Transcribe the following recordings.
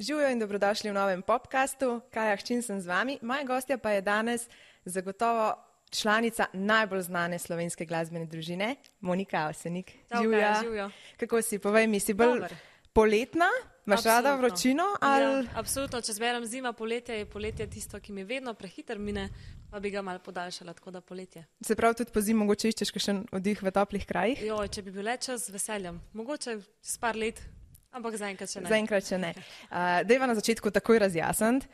Živijo in dobrodošli v novem podcastu. Kaja Hčin sem z vami. Moja gostja pa je danes zagotovo članica najbolj znane slovenske glasbene družine, Monika Avsenik. Živijo. Kako si? Povej mi, si bolj poletna? Imaš rada vročino? Ali... Ja, absolutno. Če zberem zima, poletje je poletje tisto, ki mi vedno prehiter mine, pa bi ga malo podaljšala, tako da poletje. Se pravi, tudi po zimi mogoče iščeš kakšen oddih v toplih krajih? Jo, če bi bil le čas, z veseljem. Mogoče s par let, ampak zaenkrat še ne. Zaenkrat še ne. Dejva na začetku takoj razjasniti.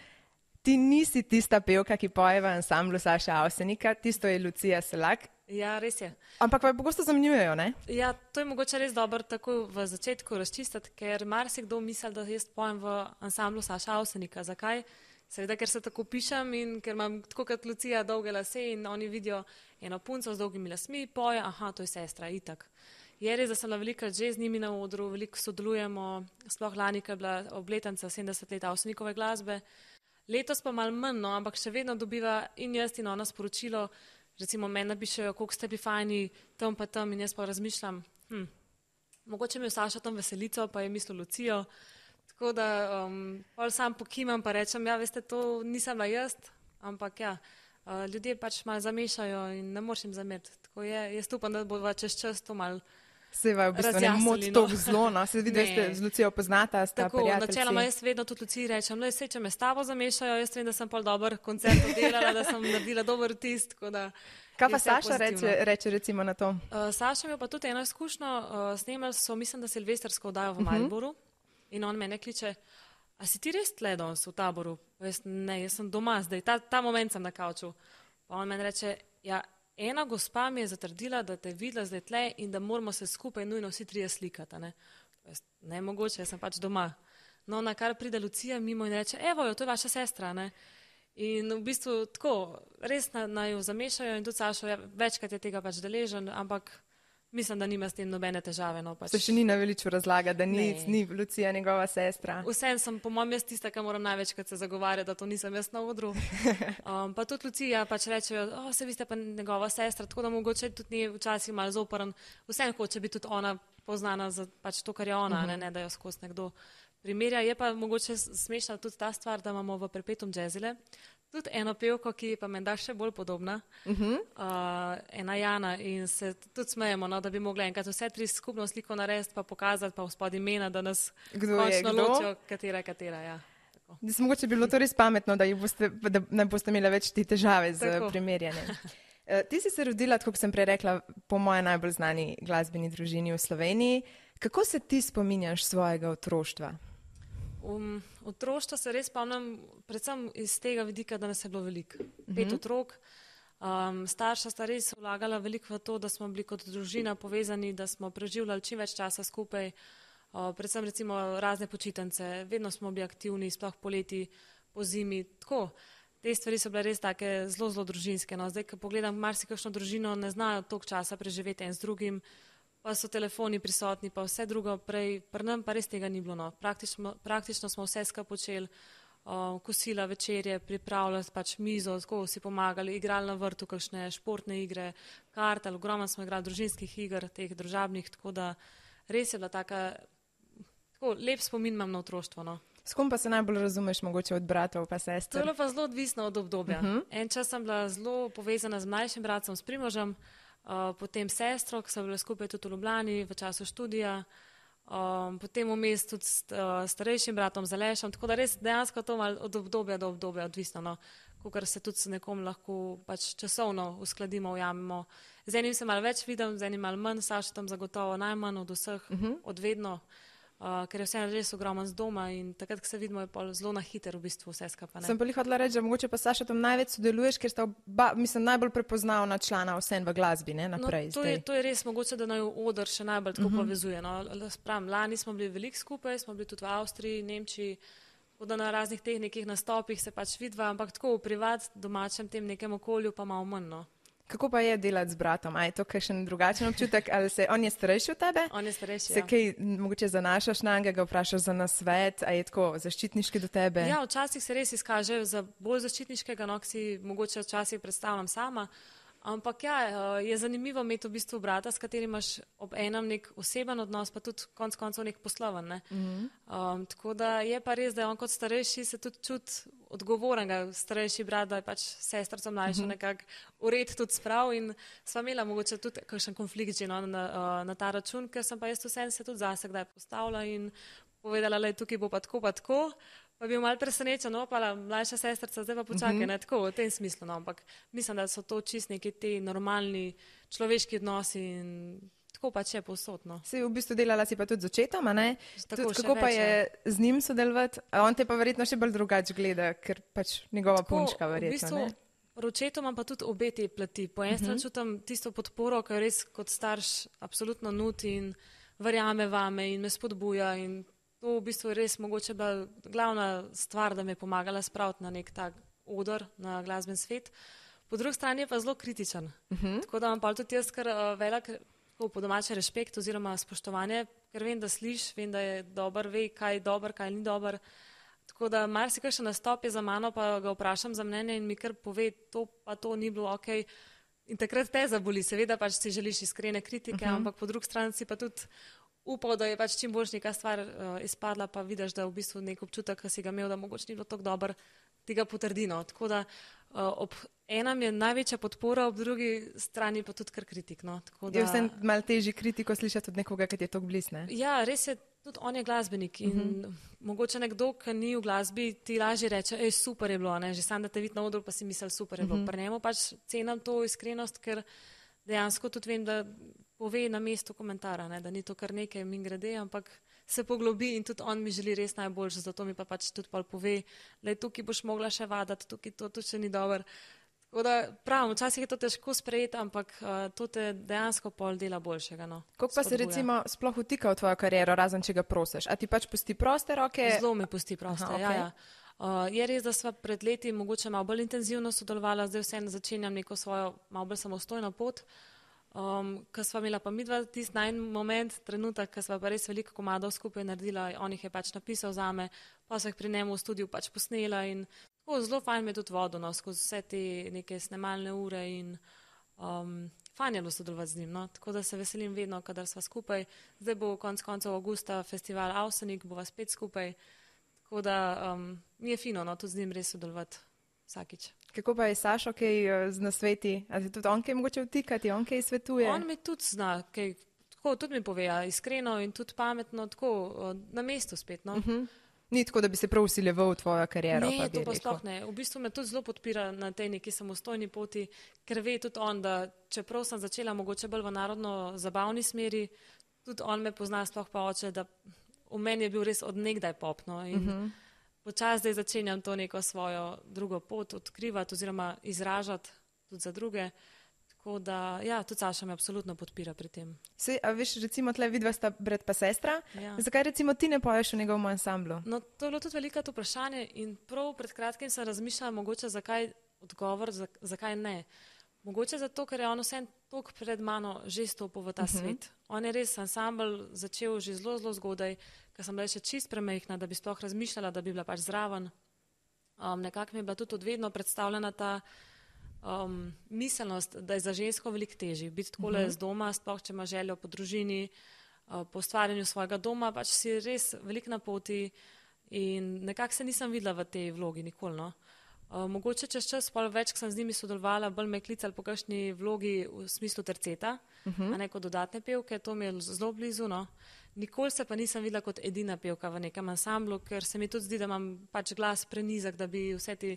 Ti nisi tista pevka, ki poje v ansamblu Saša Avsenika, tisto je Lucija Selak. Ja, res je. Ampak pa pogosto zamenjujejo, ne? Ja, to je mogoče res dobro tako v začetku razčistiti, ker marsikdo misli, da jaz pojem v ansamblu Saša Avsenika. Zakaj? Seveda, ker se tako pišem in ker imam tako kot Lucija dolge lase in oni vidijo eno punco z dolgimi lasmi, poje, aha, to je sestra, itak. Je res, da sem bila velikrat že z njimi na odru, veliko sodelujemo, sploh lani, ker je bila obletnica 70 let Avsenikove glasbe. Letos pa malo manj, no, ampak še vedno dobiva in jaz in ona sporočilo, recimo meni napišejo, koliko ste bili fajni, tam pa tam in jaz pa razmišljam, mogoče mi je Saša tam veselico, pa je mislil Lucijo, tako da pol sam pokimam pa rečem, ja, veste, to nisem bila jaz, ampak ja, ljudje pač malo zamešajo in ne moreš jim zameriti, tako je, jaz upam, da bo čez čas to malo Seva v bistvu ne moti to zlo, no, se vidi, da ste z Lucijo poznata, sta prijateljci. Tako, načeloma jaz vedno tudi Luciji rečem, le če me s tabo zamešajo, jaz vem, da sem pol dober koncert oddelala, da sem naredila dober vtis, tako da... Kaj pa Saša reče recimo na to? Saša mi pa tudi eno izkušnjo, snemali so, mislim, da silvestrsko oddajo v Mariboru in on mene kliče, a si ti res tle danes v Taboru? Ne, jaz sem doma zdaj, ta moment sem na kavču. Pa on meni reče, ja, ena gospa mi je zatrdila, da te je videla zdaj tle in da moramo se skupaj nujno vsi trije slikati. Ne mogoče, jaz sem pač doma. No, na kar pride Lucija mimo in reče, evo jo, to je vaša sestra. Ne? In v bistvu tako, res naj jo zamešajo in tudi Sašo, ja, večkrat je tega pač deležen, ampak mislim, da nima s tem nobene težave. No, pač. Se še ni na veliču razlaga, da ni Lucija njegova sestra. Vsem sem, po mojem, jaz tista, ki moram največkrat se zagovarjati, da to nisem jaz na odru. Pa tudi Lucija pač rečejo, se vi ste pa njegova sestra, tako da mogoče tudi ni včasih malo zoprn. Vsem hoče biti tudi ona poznana za pač to, kar je ona, ne da jo skozi nekdo primerja. Je pa mogoče smešna tudi ta stvar, da imamo v Perpetuum Jazzile tudi eno pevko, ki je pa menda še bolj podobna, ena Jana in se tudi smejemo, no, da bi mogla enkrat vse tri skupno sliko narediti pa pokazati pa vzpod imena, da nas končno ločijo, katera, ja. Mogoče bi bilo to res pametno, da ne boste imeli več te težave z primerjanjem. Ti si se rodila, tako kot sem prej rekla, po moje najbolj znani glasbeni družini v Sloveniji. Kako se ti spominjaš svojega otroštva? Otroštva se res spomnim predvsem iz tega vidika, da nas je bilo veliko. 5 otrok. Starša sta res vlagala veliko v to, da smo bili kot družina povezani, da smo preživljali čim več časa skupaj. Predvsem recimo razne počitnice. Vedno smo bili aktivni, sploh poleti, po zimi. Tako. Te stvari so bile res take zelo, zelo družinske. No. Zdaj, ko pogledam marsikakšno družino, ne znajo toliko časa preživeti en z drugim, pa so telefoni prisotni, pa vse drugo prej, pri nam pa res tega ni bilo. No. Praktično smo vse skupaj počeli, kosila, večerje, pripravljali pač mizo, tako si pomagali, igrali na vrtu kakšne športne igre, kartal, ogromno smo igrali družinskih iger, teh družabnih, tako da res je bila tako lep spomin imam na otroštvo. No. S kom pa se najbolj razumeš, mogoče od bratov pa sester? To je bilo pa zelo odvisno od obdobja. En čas sem bila zelo povezana z mlajšim bratom, s Primožem, potem sestro, ki so bile skupaj tudi v Ljubljani v času študija, potem vmes tudi s starejšim bratom, z Alešem, tako da res dejansko to malo od obdobja do obdobja odvisno, no, kakor se tudi s nekom lahko pač časovno uskladimo, ujamemo. Z enim se malo več vidim, z enim malo manj, Saša tam zagotovo najmanj od vseh, od vedno, ker je vse res ogromno z doma in takrat, ko se vidimo, je zelo na hiter v bistvu vse skupaj. Sem pa hotela reči, da mogoče pa Saša tam največ sodeluješ, ker sta najbolj prepoznavna člana vsem v glasbi, ne, naprej. No, to je res mogoče, da naj oder še najbolj tako povezuje. No. Lani smo bili veliko skupaj, smo bili tudi v Avstriji, Nemčiji, da na raznih teh nekih nastopih se pač vidva, ampak tako v privat, domačem tem nekem okolju pa malo manj, no. Kako pa je delati z bratom? A je to kakšen drugačen občutek? Ali on je starejši od tebe? On je starejši, Se kaj mogoče zanašaš na njega, ga vprašaš za nasvet, a je tako zaščitniški do tebe? Ja, včasih se res izkaže za bolj zaščitniškega, no, ki si mogoče včasih predstavljam sama. Ampak ja, je zanimivo imeti v bistvu brata, s katerim imaš ob enem nek oseben odnos, pa tudi konec koncev nek posloven. Ne? Tako da je pa res, da je on kot starejši se tudi čuti odgovornega, starejši brat, da je pač sestrico mlajšo nekako ured tudi sprav in sva imela mogoče tudi kakšen konflikt že na ta račun, ker sem pa jaz vsem se tudi zase kdaj postavila in povedala, da tukaj bo pa tako. Pa bil mal presenečen, pa mlajša sestrica, zdaj pa počakaj, ne tako v tem smislu, no, ampak mislim, da so to čist neki ti normalni človeški odnosi in tako pač je povsod, no. Si v bistvu delala si pa tudi z očetom, a ne? Kako pa je z njim sodelovati? A on te pa verjetno še bolj drugače gleda, ker pač njegova punčka verjetno, ne? Očetom imam pa tudi obe te plati. Po eni strani čutim tisto podporo, ki jo res kot starš absolutno nuti in verjame vame in me spodbuja in to v bistvu je res mogoče bila glavna stvar, da me je pomagala spraviti na nek tak odr, na glasben svet. Po drugi strani je pa zelo kritičen. Tako da imam pa tudi jaz kar velik po domače respekt oziroma spoštovanje, ker vem, da sliš, vem, da je dober, ve, kaj je dober, kaj ni dober. Tako da marsikaj še nastop je za mano, pa ga vprašam za mnenje in mi kar pove, to pa to ni bilo okej. In takrat te zaboli, seveda pač si želiš iskrene kritike, ampak po drugi strani si pa tudi upal, da je pač čim boljš neka stvar izpadla, pa vidiš, da v bistvu nek občutek, ki si ga imel, da mogoče ni bilo tako dober, ti ga potrdi. No. Tako da ob enem je največja podpora, ob drugi strani pa tudi kar kritik. No. Je vse malo težji kritiko slišati od nekoga, ki ti je tako blizu, ne? Ja, res je, tudi on je glasbenik in mogoče nekdo, ki ni v glasbi, ti lažje reče, super je bilo, ne? Že sam da te vidi na odru, pa si misel, super je bilo. Pri njemu pač cenim to iskrenost, ker dejansko tudi vem, da pove na mestu komentara, ne, da ni to kar nekaj min grede, ampak se poglobi in tudi on mi želi res najboljše, zato mi pa pač tudi pol pove, da je tukaj boš mogla še vadati, tukaj to še ni dober. Tako da pravim, včasih je to težko sprejeti, ampak to te dejansko pol dela boljšega. No, kako pa se recimo sploh vtika v tvojo kariero, razen če ga prosiš? A ti pač pusti proste roke? Zelo mi pusti proste, okay. Ja. Je res, da sva pred leti mogoče malo bolj intenzivno sodelovala, zdaj vseeno začenjam neko svojo malo bolj samostojno pot. Ko sva imela pa midva tisti najn moment, trenutek, ko sva pa res veliko komadov skupaj naredila, on jih je pač napisal zame, pa so jih pri njemu v studiu pač posnela in tako zelo fajn me je tudi vodil, no, skozi vse te neke snemalne ure in fajn je bilo sodelovati z njim, no, tako da se veselim vedno, kadar sva skupaj. Zdaj bo konec koncev avgusta festival Avsenik, bova spet skupaj, tako da mi je fino, no, tudi z njim res sodelovati vsakič. Kako pa je Sašo kaj z nasveti? A ti tudi on kaj mogoče vtikati, on kaj svetuje? On mi tudi zna, kaj, tako tudi mi pove, iskreno in tudi pametno, tako na mestu spet. No. Ni tako, da bi se prav usiljeval v tvojo kariero? Ne, to pa sploh ne. V bistvu me tudi zelo podpira na tej neki samostojni poti, ker ve tudi on, da čeprav sem začela mogoče bolj v narodno zabavni smeri, tudi on me pozna, sploh pa oče, da v meni je bil res od nekdaj pop. No, in počas zdaj začenjam to neko svojo drugo pot odkrivati oziroma izražati tudi za druge. Tako da, ja, tudi Saša me absolutno podpira pri tem. A veš, recimo tle vidva sta brat pa sestra, zakaj recimo ti ne poješ v njegovem ansamblu? No, to je bilo tudi veliko vprašanje in prav pred kratkim sem razmišljala mogoče zakaj odgovor, zakaj ne. Mogoče zato, ker je on vsem toliko pred mano že stopil v ta svet. On je res ansambl začel že zelo, zelo zgodaj, ker sem bila še čist premehna, da bi sploh razmišljala, da bi bila pač zraven. Nekako mi je bila tudi odvedno predstavljena ta miselnost, da je za žensko veliko težji. Biti takole z doma, sploh če ima željo po družini, po ustvarjanju svojega doma, pač si res veliko na poti in nekako se nisem videla v tej vlogi nikoli, no. Mogoče čez čas, pol več, ko sem z njimi sodelovala, bolj me klicali po kakšni vlogi v smislu terceta, a ne kot dodatne pevke, to mi je zelo blizu, no. Nikoli se pa nisem videla kot edina pevka v nekem ansamblu, ker se mi tudi zdi, da imam pač glas prenizak, da bi vse te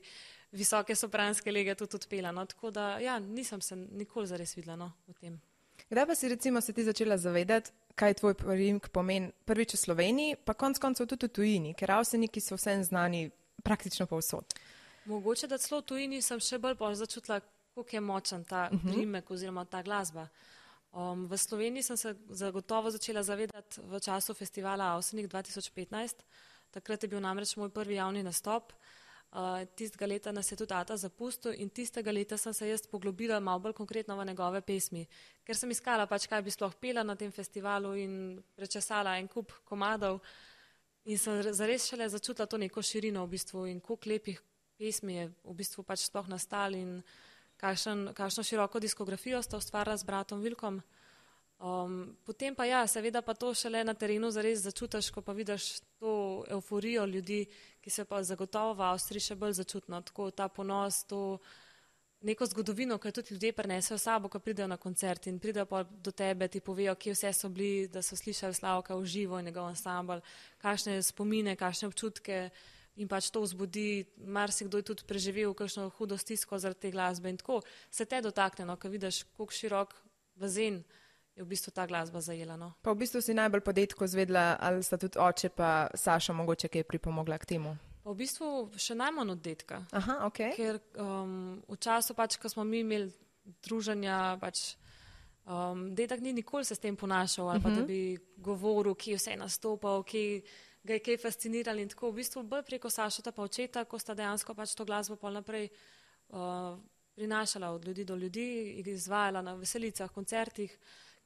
visoke sopranske lege tudi odpela, no. Tako da, ja, nisem se nikoli zares videla, no, v tem. Kdaj pa si recimo se ti začela zavedati, kaj tvoj priimek pomeni prvič v Sloveniji, pa konec koncev tudi v tujini, ker Avseniki so vsem znani praktično povsod? Mogoče, da celo v tujini sem še bolj začutila, koliko je močen ta priimek oziroma ta glasba. V Sloveniji sem se zagotovo začela zavedati v času festivala Avsenik 2015. Takrat je bil namreč moj prvi javni nastop. Tistega leta nas je tudi ata zapustil in tistega leta sem se jaz poglobila malo bolj konkretno v njegove pesmi, ker sem iskala pač, kaj bi sploh pela na tem festivalu in prečesala en kup komadov in sem zares šele začutila to neko širino v bistvu in koliko lepih pesmi je v bistvu pač sploh nastali in kakšno široko diskografijo sta ustvarila z bratom Vilkom. Potem pa ja, seveda pa to šele na terenu zares začutiš, ko pa vidiš to euforijo ljudi, ki se pa zagotovo v Avstriji še bolj začutno, tako ta ponos, to neko zgodovino, ki jo tudi ljudje prenesejo sabo, ko pridejo na koncert in pridejo pa do tebe, ti povejo, kje vse so bili, da so slišali Slavka v živo in njegov ansambl, kakšne spomine, kakšne občutke in pač to vzbudi, marsikdo je tudi preživel kakšno hudo stisko zaradi te glasbe in tako se te dotakne, no, ko vidiš, koliko širok bazen je v bistvu ta glasba zajela. No. Pa v bistvu si najbolj po detku zvedla, ali sta tudi oče pa Saša mogoče kaj pripomogla k temu? Pa v bistvu še najmanj od detka. Aha, okay. Ker v času pač, ko smo mi imeli druženja, pač detek ni nikoli se s tem ponašal ali pa da bi govoril, kje vse je nastopal, kje ga je kaj fascinirali in tako. V bistvu bolj preko Sašota pa očeta, ko sta dejansko pač to glasbo pol naprej prinašala od ljudi do ljudi, izvajala na veselicah, koncertih,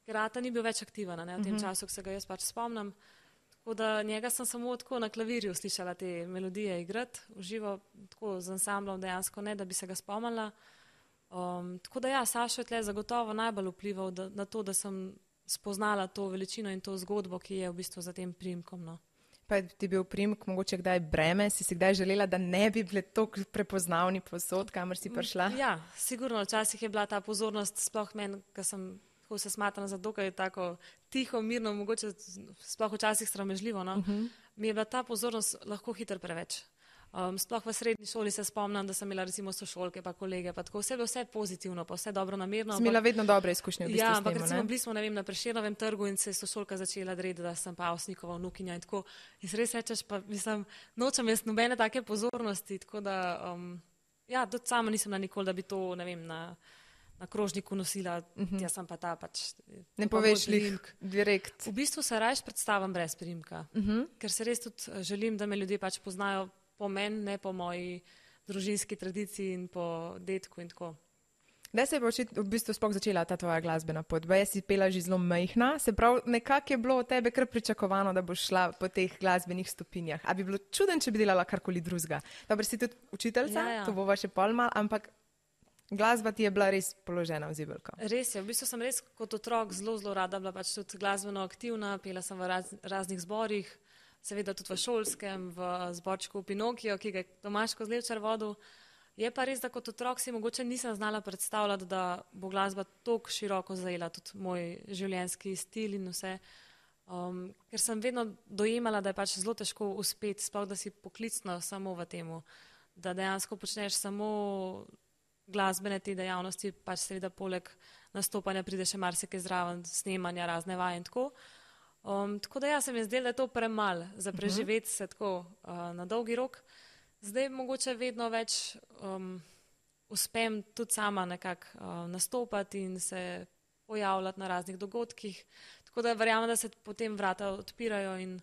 ker ata ni bil več aktiven, ne, v tem času, ko se ga jaz pač spomnim. Tako da njega sem samo tako na klavirju slišala te melodije igrati, v živo, tako z ansamblom dejansko ne, da bi se ga spomnila. Tako da ja, Sašo je tle zagotovo najbolj vplival na to, da sem spoznala to veličino in to zgodbo, ki je v bistvu za tem priimkom. No. Pa je ti bil priimek mogoče kdaj breme? Si kdaj želela, da ne bi bili tako prepoznavni povsod, kamor si prišla? Ja, sigurno, včasih je bila ta pozornost, sploh meni, ko sem tako se smatram za dokaj tako tiho, mirno, mogoče sploh včasih sramežljivo, no. Mi je bila ta pozornost lahko hitro preveč. Sploh v srednji šoli se spomnim, da sem imela recimo sošolke pa kolege, pa tako vse pozitivno, pa vse dobro namerno. Si imela vedno dobre izkušnje v bistvu s tem, ne? Ja, ampak recimo bili smo, ne vem, na Prešernovem trgu in se je sošolka začela dreti, da sem pa Avsnikova vnukinja in tako. In se res rečeš, pa mislim, nočem jaz nobene take pozornosti, tako da, ja, tudi sama nisem na nikoli, da bi to, ne vem, na krožniku nosila, jaz sem pa ta pač... Ne poveš lih direkt. V bistvu se rajš predstavim brez priimka, ker se res tudi želim, da me ljudje pač poznajo po meni, ne po moji družinski tradiciji in po detku in tako. Kdaj se je v bistvu sploh začela ta tvoja glasbena pot? Baje si pela že zelo majhna, se pravi, nekako je bilo od tebe kar pričakovano, da boš šla po teh glasbenih stopinjah. A bi bilo čuden, če bi delala karkoli drugega? Dobro, si tudi učiteljca, to bova še pol mal, ampak glasba ti je bila res položena v zibelko. Res je, v bistvu sem res kot otrok zelo rada bila pač tudi glasbeno aktivna, pela sem v raznih zborih, seveda tudi v šolskem, v zborčku Pinokio, ki ga je Tomaž Kozlevčar vodil. Je pa res, da kot otrok si mogoče nisem znala predstavljati, da bo glasba toliko široko zajela tudi moj življenjski stil in vse. Ker sem vedno dojemala, da je pač zelo težko uspeti, sploh da si poklicno samo v temu, da dejansko počneš samo glasbene te dejavnosti, pač seveda poleg nastopanja pride še marsikaj zraven, snemanja, razne vaje in tako. Tako da ja, se mi je zdelo, da je to premalo za preživeti se tako na dolgi rok. Zdaj mogoče vedno več uspem tudi sama nekako nastopati in se pojavljati na raznih dogodkih. Tako da verjamem, da se potem vrata odpirajo in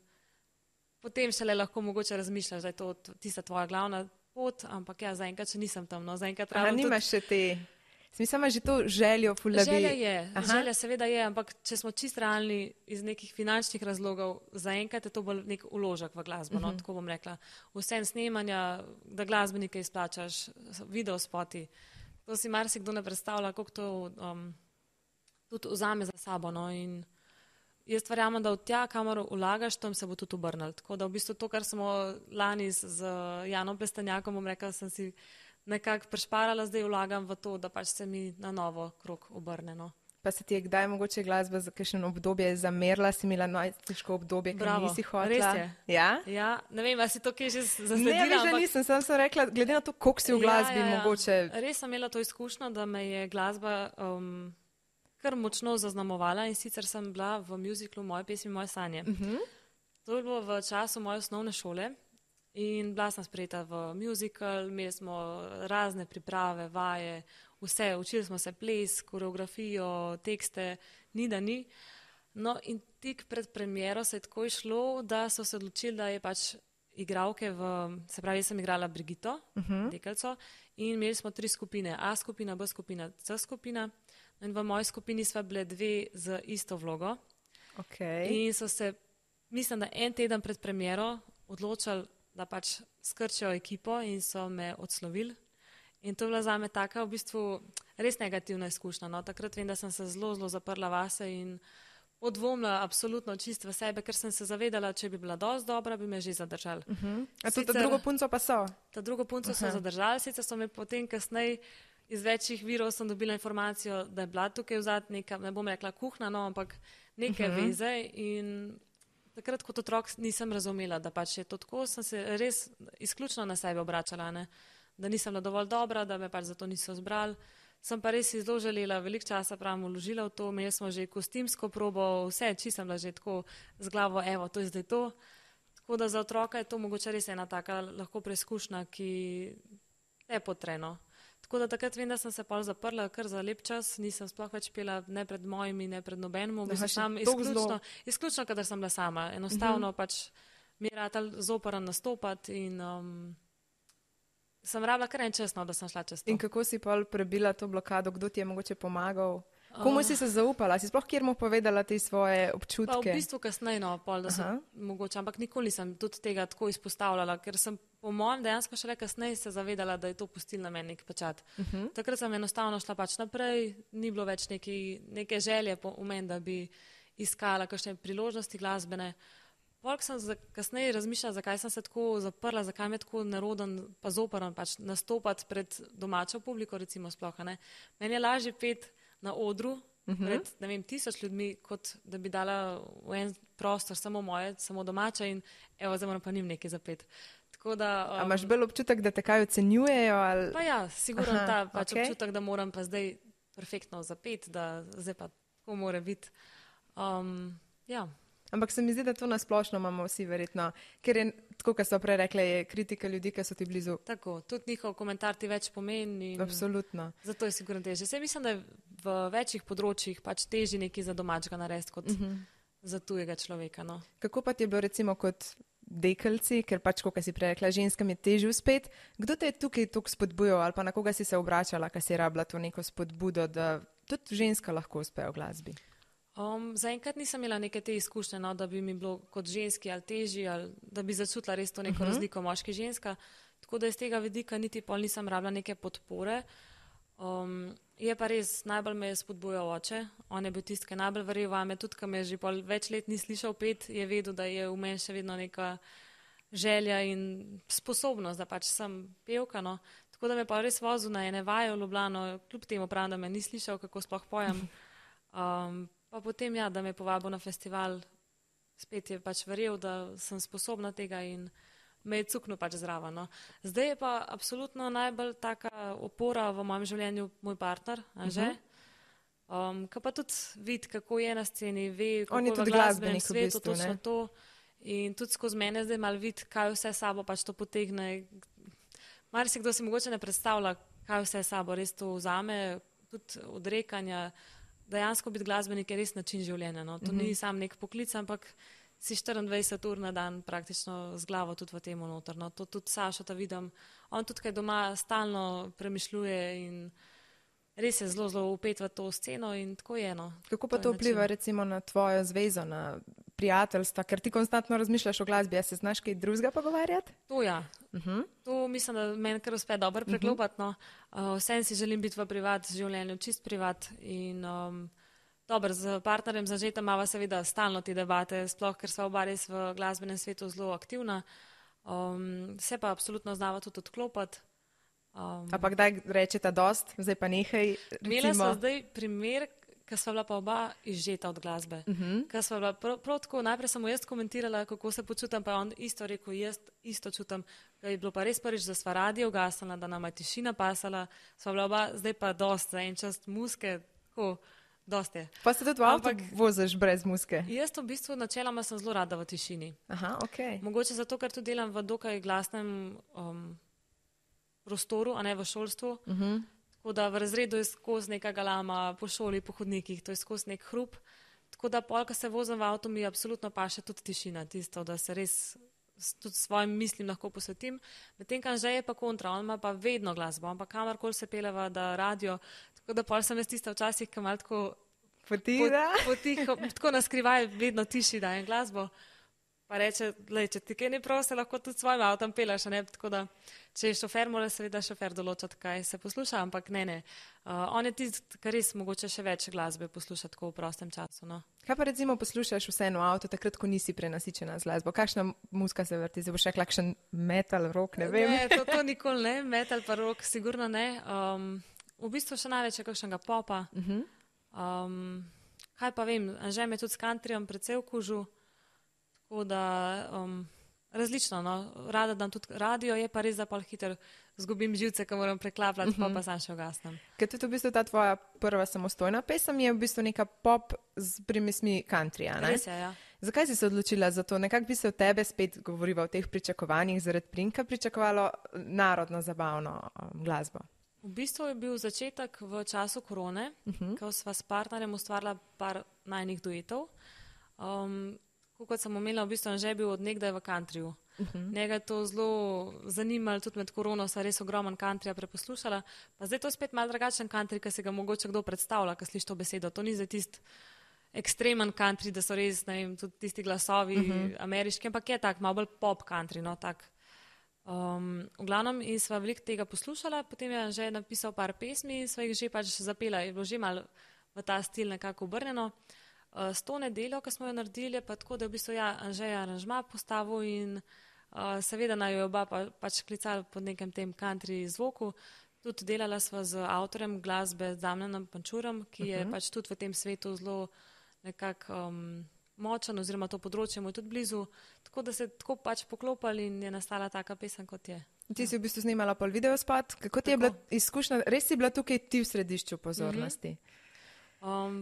potem šele lahko mogoče razmišljaš, da je to tista tvoja glavna pot, ampak ja, zaenkrat še nisem tam, no, zaenkrat rabim tudi... Nimaš še te... Smisel imaš že to željo, ful, da bi... Želja je, želja seveda je, ampak če smo čist realni iz nekih finančnih razlogov, zaenkrat je to bolj nek vložek v glasbo, no, tako bom rekla. Vse snemanja, da glasbenike izplačaš, videospoti, to si marsikdo ne predstavlja, koliko to tudi vzame za sabo, no, in jaz verjamem, da od tja, kamor vlagaš, tam se bo tudi obrnil. Tako da v bistvu to, kar smo lani z Janom Plestenjakom, bom rekla, sem si nekako prešparala, zdaj vlagam v to, da pač se mi na novo krog obrne. No. Pa se ti je kdaj mogoče glasba za kakšno obdobje zamerila, si imela najtežko obdobje, ker nisi hotela? Res je. Ja? Ja, ne vem, a si to kje že zasledila? Ne, veš, da nisem, sem rekla, glede na to, koliko si v glasbi mogoče... Res sem imela to izkušnjo, da me je glasba kar močno zaznamovala in sicer sem bila v muziklu Moje pesmi, moje sanje. To je bilo v času moje osnovne šole in bila sem sprejeta v muzikal, imeli smo razne priprave, vaje, vse, učili smo se ples, koreografijo, tekste, ni da ni. No in tik pred premiero se je tako išlo, da so se odločili, da je pač igralke se pravi, jaz sem igrala Brigito, Dekelco, in imeli smo 3 skupine, A skupina, B skupina, C skupina. In v moji skupini sva bile 2 z isto vlogo. Okay. In so se, mislim, da en teden pred premiero odločili, da pač skrčijo ekipo in so me odslovili. In to je bila zame taka v bistvu res negativna izkušnja. No. Takrat vem, da sem se zelo, zelo zaprla vase in odvomila absolutno čist v sebe, ker sem se zavedala, če bi bila dosti dobra, bi me že zadržali. A to ta drugo punco pa so? Ta drugo punco so zadržali, sicer so me potem kasneje iz večjih virov sem dobila informacijo, da je bila tukaj vzad neka, ne bom rekla kuhna, no, ampak neke veze in takrat kot otrok nisem razumela, da pač je to tako, sem se res izključno na sebe obračala, ne? Da nisem bila dovolj dobra, da me pač zato niso zbrali. Sem pa res zelo želela, veliko časa pravim vložila v to, imeli smo že kostimsko probo, vse, čisto sem bila že tako z glavo, evo, to je zdaj to. Tako da za otroka je to mogoče res ena taka lahko preizkušnja, ki je potrebno. Tako da takrat vem, da sem se pol zaprla kar za lep čas, nisem sploh več pela ne pred mojimi, ne pred nobenim, izključno, kadar sem bila sama. Enostavno pač mi je ratal zoporen nastopati in sem rabila kar en čas, no, da sem šla čez to. In kako si pol prebila to blokado, kdo ti je mogoče pomagal? Komu si se zaupala? Si sploh kjer mu povedala te svoje občutke? Pa v bistvu kasneje, no, pol, da sem mogoče, ampak nikoli nisem tudi tega tako izpostavljala, ker sem po mojem dejansko šele kasneje se zavedala, da je to pustil na meni nek pečat. Takrat sem enostavno šla pač naprej, ni bilo več neke želje v meni, da bi iskala kakšne priložnosti glasbene. Polk sem kasneje razmišljala, zakaj sem se tako zaprla, zakaj mi je tako neroden pa zoporen pač nastopati pred domačo publiko, recimo sploh, ne. Meni je lažje peti na odru pred, ne vem, 1000 ljudmi, kot da bi dala v en prostor samo moje, samo domače in evo, zdaj moram pa njim nekaj zapeti. Tako da... A imaš bolj občutek, da te kaj ocenjujejo? Ali... Pa ja, sigurno ta pač občutek, da moram pa zdaj perfektno zapeti, da zdaj pa tako mora biti. Ja. Ampak se mi zdi, da to nasplošno imamo vsi verjetno, ker je, tako kot so prej rekli, je kritika ljudi, ki so ti blizu. Tako, tudi njihov komentar ti več pomeni. Absolutno. Zato je sigurno težje. Saj mislim, da je v večjih področjih pač težje nekaj za domačega narediti kot za tujega človeka. No. Kako pa ti je bilo recimo kot dekelci, ker pač, kot si prej rekla, ženskam je težje uspeti. Kdo te je tukaj toliko spodbujal ali pa na koga si se obračala, kaj si rabila to neko spodbudo, da tudi ženska lahko uspe v glasbi? Zaenkrat nisem imela neke te izkušnje, no, da bi mi bilo kot ženski ali težji, ali da bi začutila res to neko razliko moški-ženska. Tako da iz tega vidika niti pol nisem rabila neke podpore. Je pa res, najbolj me je spodbujal oče. On je bil tisti, ki je najbolj verjel vame, tudi ko me že pol več let ni slišal pet, je vedel, da je v meni še vedno neka želja in sposobnost, da pač sem pevka. No. Tako da me pa res vozil na ene vaje v Ljubljano, kljub temu pravim, da me ni slišal, kako sploh pojem. Pa potem, ja, da me je povabil na festival, spet je pač verjel, da sem sposobna tega in me je cuknil pač zraven. No. Zdaj je pa absolutno najbolj taka opora v mojem življenju moj partner, Anže, ki pa tudi vidi, kako je na sceni, ve, kako je v glasbenem svetu, točno to. In tudi skozi mene zdaj malo vidi, kaj vse sabo pač to potegne. Marsikdo si mogoče ne predstavlja, kaj vse sabo res to vzame, tudi odrekanja. Dejansko biti glasbenik je res način življenja. No. To ni sam nek poklic, ampak si 24 ur na dan praktično z glavo tudi v tem noter. No. To tudi Sašo ta vidim. On tudi kaj doma stalno premišljuje in res je zelo, zelo upet v to sceno in tako je. No. Kako pa to vpliva recimo na tvojo zvezo, na prijateljstva, ker ti konstantno razmišljaš o glasbi, a se znaš kaj drugega pogovarjati? To ja. To mislim, da meni kar uspe dobro preklopati. No. Vsem si želim biti v privat življenju, čist privat in dobro, z partnerjem Anžetom imava seveda stalno te debate, sploh ker sva oba res v glasbenem svetu zelo aktivna. Se pa absolutno znava tudi odklopati. Ampak kdaj rečeta dost, zdaj pa nehaj? Imela sva zdaj primer, ker sva bila pa oba izžeta od glasbe. Ker sva bila prav tako, najprej sem mu jaz komentirala, kako se počutam, pa je on isto rekel, jaz isto čutam, da je bilo pa res prvič, da sva radio ugasnila, da nama je tišina pasala, sva bila oba, zdaj pa dost, za en čas muske, tako, dost je. Pa se tudi v avto voziš brez muske? Jaz v bistvu načeloma sem zelo rada v tišini. Aha, okej. Mogoče zato, ker tudi delam v dokaj glasnem prostoru, a ne v šolstvu. Tako da v razredu je skozi neka galama, po šoli, po hodnikih, to je skozi nek hrup. Tako da pol, ko se vozim v avto, mi absolutno paše tudi tišina, tisto, da se res tudi svojim mislim lahko posvetim. Medtem, ko Anže je pa kontra, on ima pa vedno glasbo, on pa kamarkoli se peleva, da radio. Tako da pol sem jaz tista včasih, ki malo tako potiho, tako naskrivaj vedno tiši dajem glasbo. pa reče, če ti kaj ni prav, se lahko tudi s svojim avtom peleš, ne, tako da, če je šofer, mora seveda šofer določati, kaj se posluša, ampak ne. On je tisti, kar res mogoče še več glasbe posluša tako v prostem času, no. Kaj pa recimo poslušaš vseeno v avtu, takrat, ko nisi prenasičena z glasbo? Kakšna muzika se vrti? Zdaj boš rekla, kakšen metal, rock, ne vem. Ne, to nikoli ne, metal pa rock sigurno ne. V bistvu še največ je kakšnega popa. Kaj pa vem, Anže me tudi s countryjem precej vkužil, tako da različno, no. Rada dam tudi radio, je pa res, da pa hitro zgubim živce, ko moram preklapljati, pa sam še ugasnem. Ker tudi v bistvu ta tvoja prva samostojna pesem je v bistvu neka pop z primismi countryja, ne? Res je, ja. Zakaj si se odločila za to? Nekako bi se od tebe spet govoriva o teh pričakovanjih zaradi Prinka pričakovalo narodno zabavno glasbo? V bistvu je bil začetek v času korone, ko sva s partnerjem ustvarila par najnih duetov. Kot sem omenila, v bistvu Anže je bil od nekdaj v countryju. Njega je to zelo zanimalo, tudi med korono sva res ogromen countryja preposlušala. Pa zdaj to je spet malo drugačen country, ki se ga mogoče kdo predstavlja, ko sliši to besedo. To ni za tisti ekstremen country, da so res, ne vem, tudi tisti glasovi ameriški, ampak je tak, malo bolj pop country, no, tak. V glavnem in sva veliko tega poslušala, potem je Anže napisal par pesmi in sva jih že pač zapela, je bilo že malo v ta stil nekako obrnjeno. S to nedeljo, ko smo jo naredili, pa tako, da v bistvu Anže je aranžma postavil in seveda naj jo oba pač klicali pod nekem tem country zvoku. Tudi delala sva z avtorjem glasbe Damjanom Pančurom, ki je pač tudi v tem svetu zelo nekako močen oziroma to področje mu je tudi blizu, tako da se tako pač poklopali in je nastala taka pesem, kot je. Ti si v bistvu snimala pol videospot, kako ti je bila izkušnja, res si bila tukaj ti v središču pozornosti?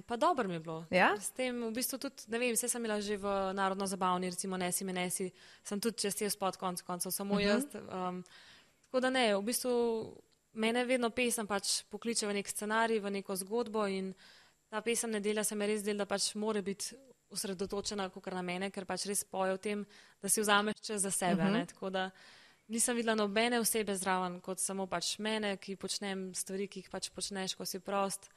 Pa dobro mi je bilo. Ja? S tem v bistvu tudi, ne vem, vse sem bila že v narodno zabavni, recimo Nesi me nesi, sem tudi čez te spot koncev, samo jaz. Tako da ne, v bistvu mene vedno pesem pač pokliče v nek scenarij, v neko zgodbo in ta pesem Nedelja se mi res del, da pač more biti osredotočena kakor na mene, ker pač res poje o tem, da si vzameš čas za sebe, ne, tako da nisem videla nobene osebe zraven, kot samo pač mene, ki počnem stvari, ki jih pač počneš, ko si prost,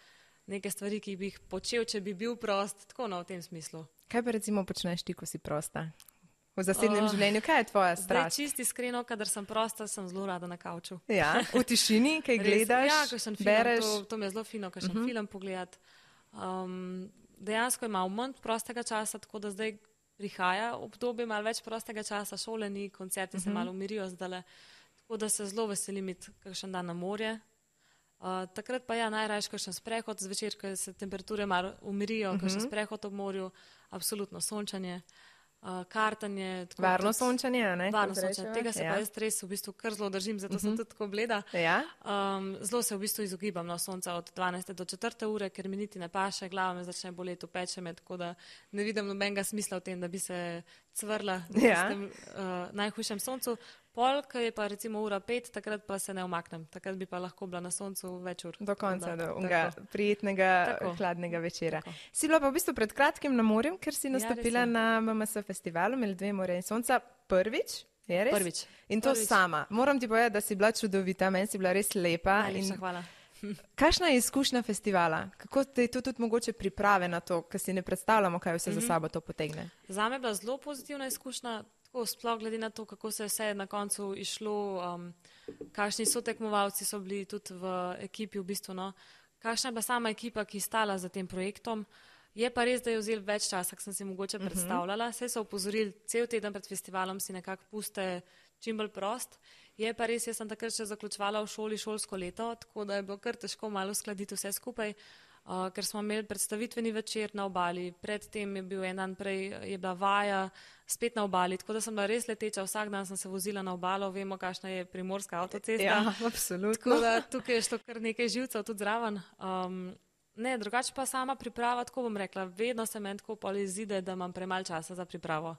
neke stvari, ki bi jih počel, če bi bil prost, tako v tem smislu. Kaj pa recimo počneš ti, ko si prosta? V zasebnem življenju, kaj je tvoja strast? Zdaj čisti iskreno, kadar sem prosta, sem zelo rada na kavču. Ja, v tišini, kaj gledaš, ja, kakšen bereš? Film, to mi je zelo fino, kakšen film pogledati. Dejansko imam manj prostega časa, tako da zdaj prihaja obdobje malo več prostega časa, šole ni, koncerti se malo umirijo zdajle, tako da se zelo veselim iti kakšen dan na morje. Takrat pa ja, najrajši kakšen sprehod zvečer, ko se temperature malo umirijo, kakšen sprehod ob morju, absolutno sončanje, kartanje. Varno sončanje, ne? Varno sončanje, tega se pa jaz res v bistvu kar zelo držim, zato sem tudi tako bleda. Ja? Zelo se v bistvu izogibam na sonca od 12. do 4. ure, ker mi niti ne paše, glava me začne boleti, peče me, tako da ne vidim nobenega smisla v tem, da bi se cvrla v tem najhujšem soncu. Pol, ko je pa recimo ura 5, takrat pa se ne umaknem, takrat bi pa lahko bila na soncu več ur. Do konca, do prijetnega, hladnega večera. Tako. Si bila pa v bistvu pred kratkim na morju, ker si nastopila na MMS festivalu Med2 morja in sonca prvič, je res? Prvič. In to sama. Moram ti povedati, da si bila čudovita, meni si bila res lepa. Najlepša hvala. Kakšna je izkušnja festivala? Kako te je to tudi mogoče priprave na to, ker si ne predstavljamo, kaj vse za sabo to potegne? Zame je bila zelo pozitivna izkušnja, sploh glede na to, kako se je vse na koncu išlo, kakšni so tekmovalci so bili tudi v ekipi v bistvu, no. Kakšna je bila sama ekipa, ki je stala za tem projektom. Je pa res, da je vzel več časa, kot sem si mogoče predstavljala. Vse so opozorili, cel teden pred festivalom si nekako puste čim bolj prost. Je pa res, jaz sem takrat še zaključevala v šoli šolsko leto, tako da je bilo kar težko malo uskladiti vse skupaj. Ker smo imeli predstavitveni večer na obali, predtem je bil en dan prej, je bila vaja spet na obali, tako da sem bila res leteča, vsak dan sem se vozila na obalo, vemo, kakšna je primorska avtocesta. Ja, absolutno. Tako da tukaj je šlo kar nekaj živcev tudi zraven. Ne, drugače pa sama priprava, tako bom rekla, vedno se meni tako pol izide, da imam premalo časa za pripravo.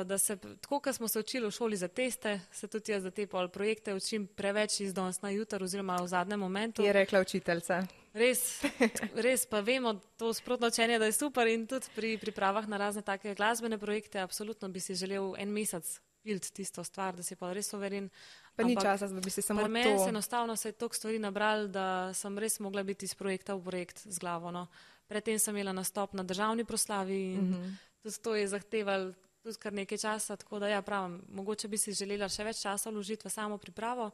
Da se, tako kot smo se učili v šoli za teste, se tudi jaz za te pol projekte učim preveč iz danes na jutr oziroma v zadnjem momentu. Je rekla učiteljica. Res pa vemo to sprotno učenje, da je super in tudi pri pripravah na razne take glasbene projekte absolutno bi si želel en mesec piliti tisto stvar, da si pa res overen. Pa ni časa, da bi si samo to... Pri meni se enostavno se je toliko stvari nabral, da sem res mogla biti iz projekta v projekt z glavo. No. Predtem sem imela nastop na državni proslavi in tudi to je zahteval tudi kar nekaj časa, tako da ja, pravim, mogoče bi si želela še več časa vložiti v samo pripravo.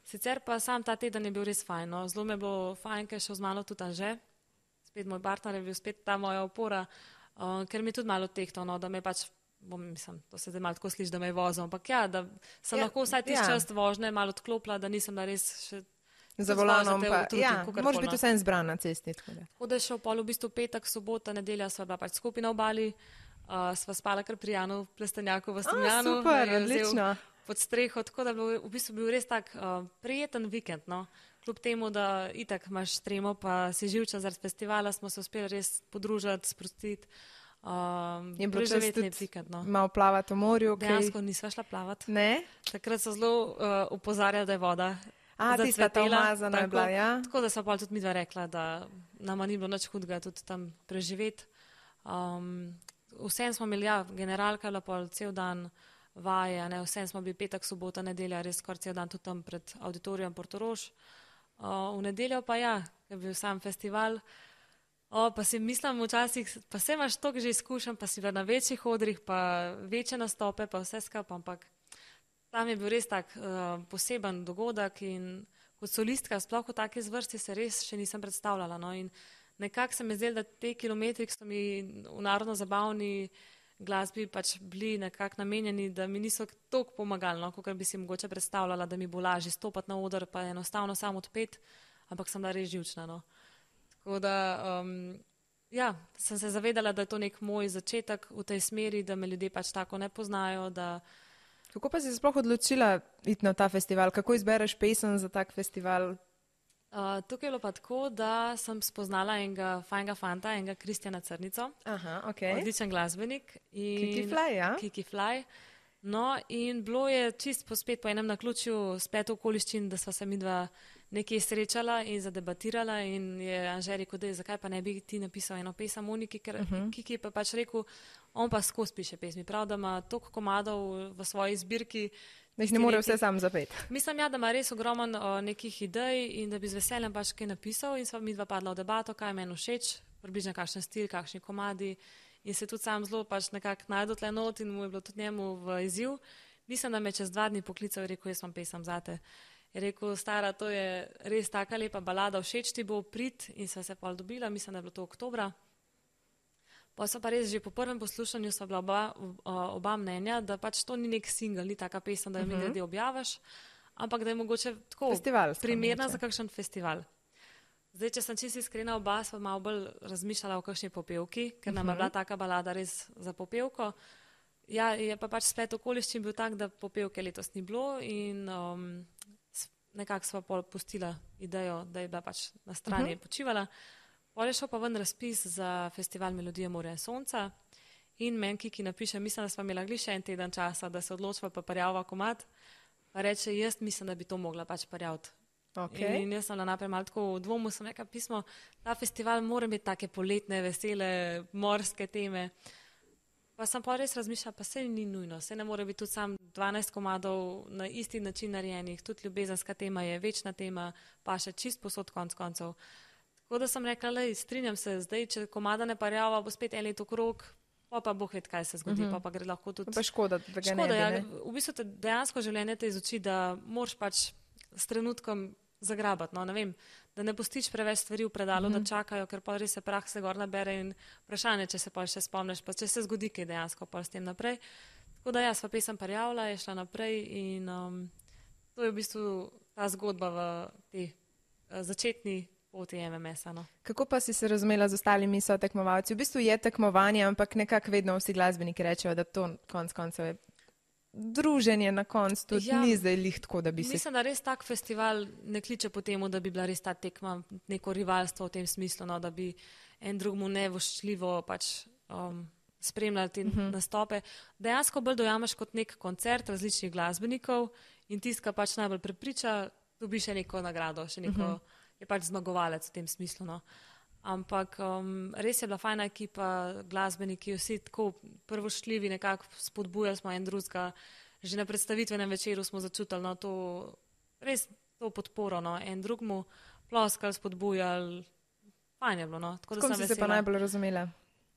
Sicer pa sam ta teden je bil res fajn, no. Zelo mi je bilo fajn, ker je šel z mano tudi Anže, spet moj partner je bil spet ta moja opora, ker mi je tudi malo tehto, no, da me pač, mislim, to se zdaj malo tako sliši, da me je vozil, ampak ja, da sem lahko vsaj tisti čas vožnje malo odklopila, da nisem da res še za volanom, pa moraš biti vsem zbran na cesti. Tako da je šel pol v bistvu petek, sobota, nedelja sva bila pač skupaj na obali, sva spala kar pri Janu v Plestenjaku v Strunjanu. Super, odlično. Pod streho, tako da je v bistvu bil res tak prijeten vikend, no. Kljub temu, da itak imaš tremo, pa si živča zaradi festivala, smo se uspeli res podružiti, sprostiti. Preživetni vikend, no. Malo plavati v morju. Dejansko nisva šla plavati. Ne? Takrat so zelo upozarjali, da je voda tista ta umazana je bila, ja. Tako da sva pa tudi midva rekla, da nama ni bilo nič hudega tudi tam preživeti. Vsem smo imeli, ja, generalka je bila cel dan vaje, ne, vsem smo bili petek, sobota, nedelja, res skoraj cel dan tudi tam pred auditorijem Portorož. V nedeljo pa ja, je bil sam festival, pa si mislim včasih, pa se imaš toliko že izkušen, pa si na večjih odrih, pa večje nastope, pa vse skupaj, ampak tam je bil res tak poseben dogodek in kot solistka, sploh v taki zvrsti se res še nisem predstavljala. No, in nekako se mi zdelo, da te kilometri, ki so mi v narodno zabavni glasbi pač bili nekako namenjeni, da mi niso toliko pomagali, no, kot bi si mogoče predstavljala, da mi bo lažje stopati na oder, pa enostavno samo odpet, ampak sem bila res živčna. No. Tako da, ja, sem se zavedala, da je to nek moj začetek v tej smeri, da me ljudje pač tako ne poznajo, da. Kako pa si se sploh odločila iti na ta festival? Kako izbereš pesem za tak festival? Tukaj je bilo pa tako, da sem spoznala enega fajnega fanta, enega Kristjana Crnico. Aha, okay. Odličen glasbenik. Kiki Fly, ja? Kiki Fly. No, in bilo je čist spet po enem naključju splet okoliščin, da sva se midva nekje srečala in zadebatirala in je Anže rekel, da zakaj pa ne bi ti napisal eno pesem Moniki, ker Kiki pa pač rekel, on pa skozi piše pesmi, prav, da ima toliko komadov v svoji zbirki. Da jih ne more vse sam zapeti. Mislim, ja, da ima res ogromen nekih idej in da bi z veseljem pač kaj napisal in sva midva padla v debato, kaj je meni všeč, približno kakšen stil, kakšni komadi in se tudi sam zelo pač nekako najdel tle not in mu je bilo tudi njemu v izziv. Mislim, da me čez 2 dni poklical in rekel, jaz imam pesem zate. Je rekel, stara, to je res taka lepa balada, všeč ti bo, prid in sva se pol dobila, mislim, da je bilo to oktobra. Pa so pa res že po prvem poslušanju sva bila oba mnenja, da pač to ni nek single, ni taka pesem, da jo mi glede objaviš, ampak da je mogoče tako primerna za kakšen festival. Zdaj, če sem čisto iskrena, oba sva malo bolj razmišljala o kakšni popevki, ker nam je bila taka balada res za popevko. Ja, je pa pač splet okoliščin bil tak, da popevke letos ni bilo in nekako sva pol pustila idejo, da je bila pač na strani počivala. Pol je šel pa ven razpis za festival Melodije Morja in Sonca in meni Kiki napiše, mislim, da sva imela glih še en teden časa, da se odločiva pa parjava komad, pa reče, jaz mislim, da bi to mogla pač parjaviti. Okay. In jaz sem naprej malo tako v dvomu, sem rekla pismo, ta festival mora imeti take poletne, vesele, morske teme. Pa sem pa res razmišljala, pa se ni nujno, se ne more biti tudi sam 12 komadov na isti način narejenih, tudi ljubezenska tema je večna tema, pa še čist posod konc koncev. Tako da sem rekla, lej, strinjam se, zdaj, če komada ne parjava, bo spet en let okrog, pa Bog ved, kaj se zgodi, pa gre lahko tudi. Pa škoda, da ga ne bi, ne? V bistvu te dejansko življenje te izuči, da moraš pač s trenutkom zagrabati, no, ne vem, da ne postiš preveč stvari v predalu, da čakajo, ker pa res se prah se gor nabere in vprašanje, če se pa še spomniš, pa če se zgodi kaj dejansko pa s tem naprej. Tako da ja, sva pesem parjavila, je šla naprej in to je v bistvu ta zgodba v tej začetni poti MMS-a. No. Kako pa si se razumela z ostalimi sotekmovalci? V bistvu je tekmovanje, ampak nekako vedno vsi glasbeniki rečejo, da to konc koncev je druženje na koncu, tudi ni zdaj lih tako, da bi se. Mislim, da res tak festival ne kliče po temu, da bi bila res ta tekma neko rivalstvo v tem smislu, no, da bi en drugmu nevoščljivo pač spremljali te nastope. Dejansko bolj dojameš kot nek koncert različnih glasbenikov in tiska pač najbolj prepriča, dobi še neko nagrado, še neko je pač zmagovalec v tem smislu. No. Ampak res je bila fajna ekipa, glasbeniki, vsi tako prvoštljivi, nekako spodbujali smo en drugega. Že na predstavitvenem večeru smo začutili no, to, res to podporo, no, en drugmu ploskali, spodbujali. Fajn je bilo, no. Tako da kom si se pa najbolj razumela?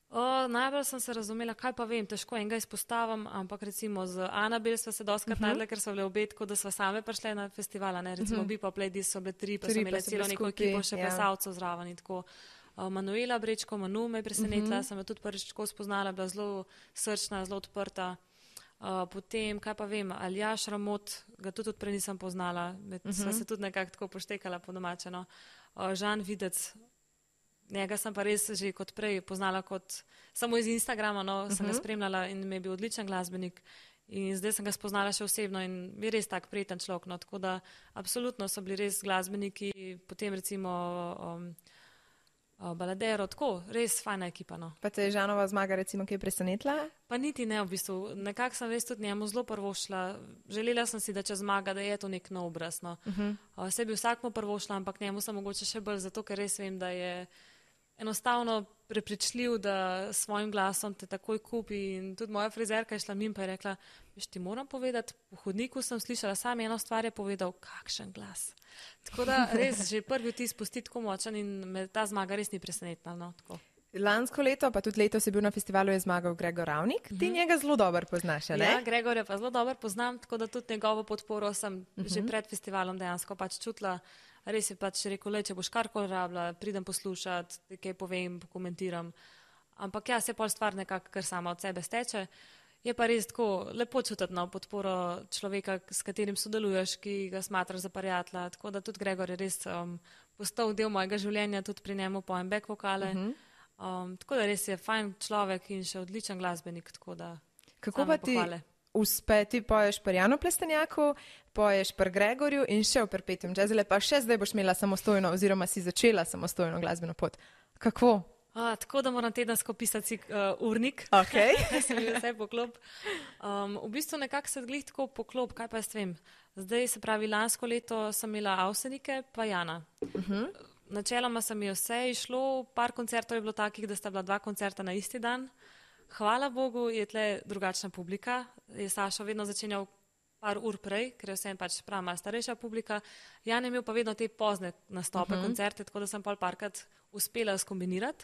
Najbolj sem se razumela, kaj pa vem, težko enega izpostavim, ampak recimo z Anabel sva se doskrat najdela, ker so bile obe tako, da sva same prišle na festivala, ne, recimo Bipa Playdis so bile 3, pa so imeli celo neko ekipo še plesalcev zraven in tako. Manuela Brečko, Manu me je presenetila, sem jo tudi prvič tako spoznala, bila zelo srčna, zelo odprta. Potem, kaj pa vem, Aljaš Ramot, ga tudi prej nisem poznala, sva se tudi nekako tako poštekala po domačeno. Žan Videc, njega sem pa res že kot prej poznala kot samo iz Instagrama, no, sem ga spremljala in mi je bil odličen glasbenik in zdaj sem ga spoznala še osebno in je res tak prijeten človek, no, tako da absolutno so bili res glasbeniki, potem recimo Baladero, tako, res fajna ekipa, no. Pa te je Žanova zmaga recimo kaj presenetila? Pa niti ne, v bistvu, nekako sem res tudi njemu zelo prvošla, želela sem si, da če zmaga, da je to nek nov obraz, no. Se bi vsakmu prvošla, ampak njemu sem mogoče še bolj zato, ker res vem, da je enostavno prepričljiv, da s svojim glasom te takoj kupi in tudi moja frizerka je šla mimo pa je rekla, veš, ti moram povedati, po hodniku sem slišala, sam eno stvar je povedal, kakšen glas. Tako da res že prvi vtis pusti tako močan in me ta zmaga res ni presenetila, no, tako. Lansko leto, pa tudi letos je bil na festivalu, je zmagal Gregor Ravnik. Ti njega zelo dobro poznaš, ne? Ja, Gregorja pa zelo dobro poznam, tako da tudi njegovo podporo sem že pred festivalom dejansko pač čutila. Res je pač rekel, če boš karkoli rabila, pridem poslušati, kaj povem, pokomentiram. Ampak ja, se pol stvar nekako kar sama od sebe steče. Je pa res tako lepo čutiti na podporo človeka, s katerim sodeluješ, ki ga smatraš za prijatelja. Tako da tudi Gregor je res postal del mojega življenja, tudi pri njemu pojem back vokale. Tako da res je fajn človek in še odličen glasbenik, tako da kako pa ti uspe, ti poješ pri Janu Plestenjaku, poješ pri Gregorju in še v Perpetuum Jazzile, pa še zdaj boš imela samostojno oziroma si začela samostojno glasbeno pot. Kako? Tako da moram tedensko pisati urnik, da se mi vse poklop. V bistvu nekako se glih tako poklop, kaj pa jaz vem. Zdaj se pravi, lansko leto sem imela Avsenike pa Jana. Načeloma sem mi vse išlo, par koncertov je bilo takih, da sta bila 2 koncerta na isti dan. Hvala Bogu je tle drugačna publika, je Sašo vedno začenjal par ur prej, ker je vsem pač prav malo starejša publika. Jan je imel pa vedno te pozne nastope, koncerte, tako da sem pol parkrat uspela skombinirati.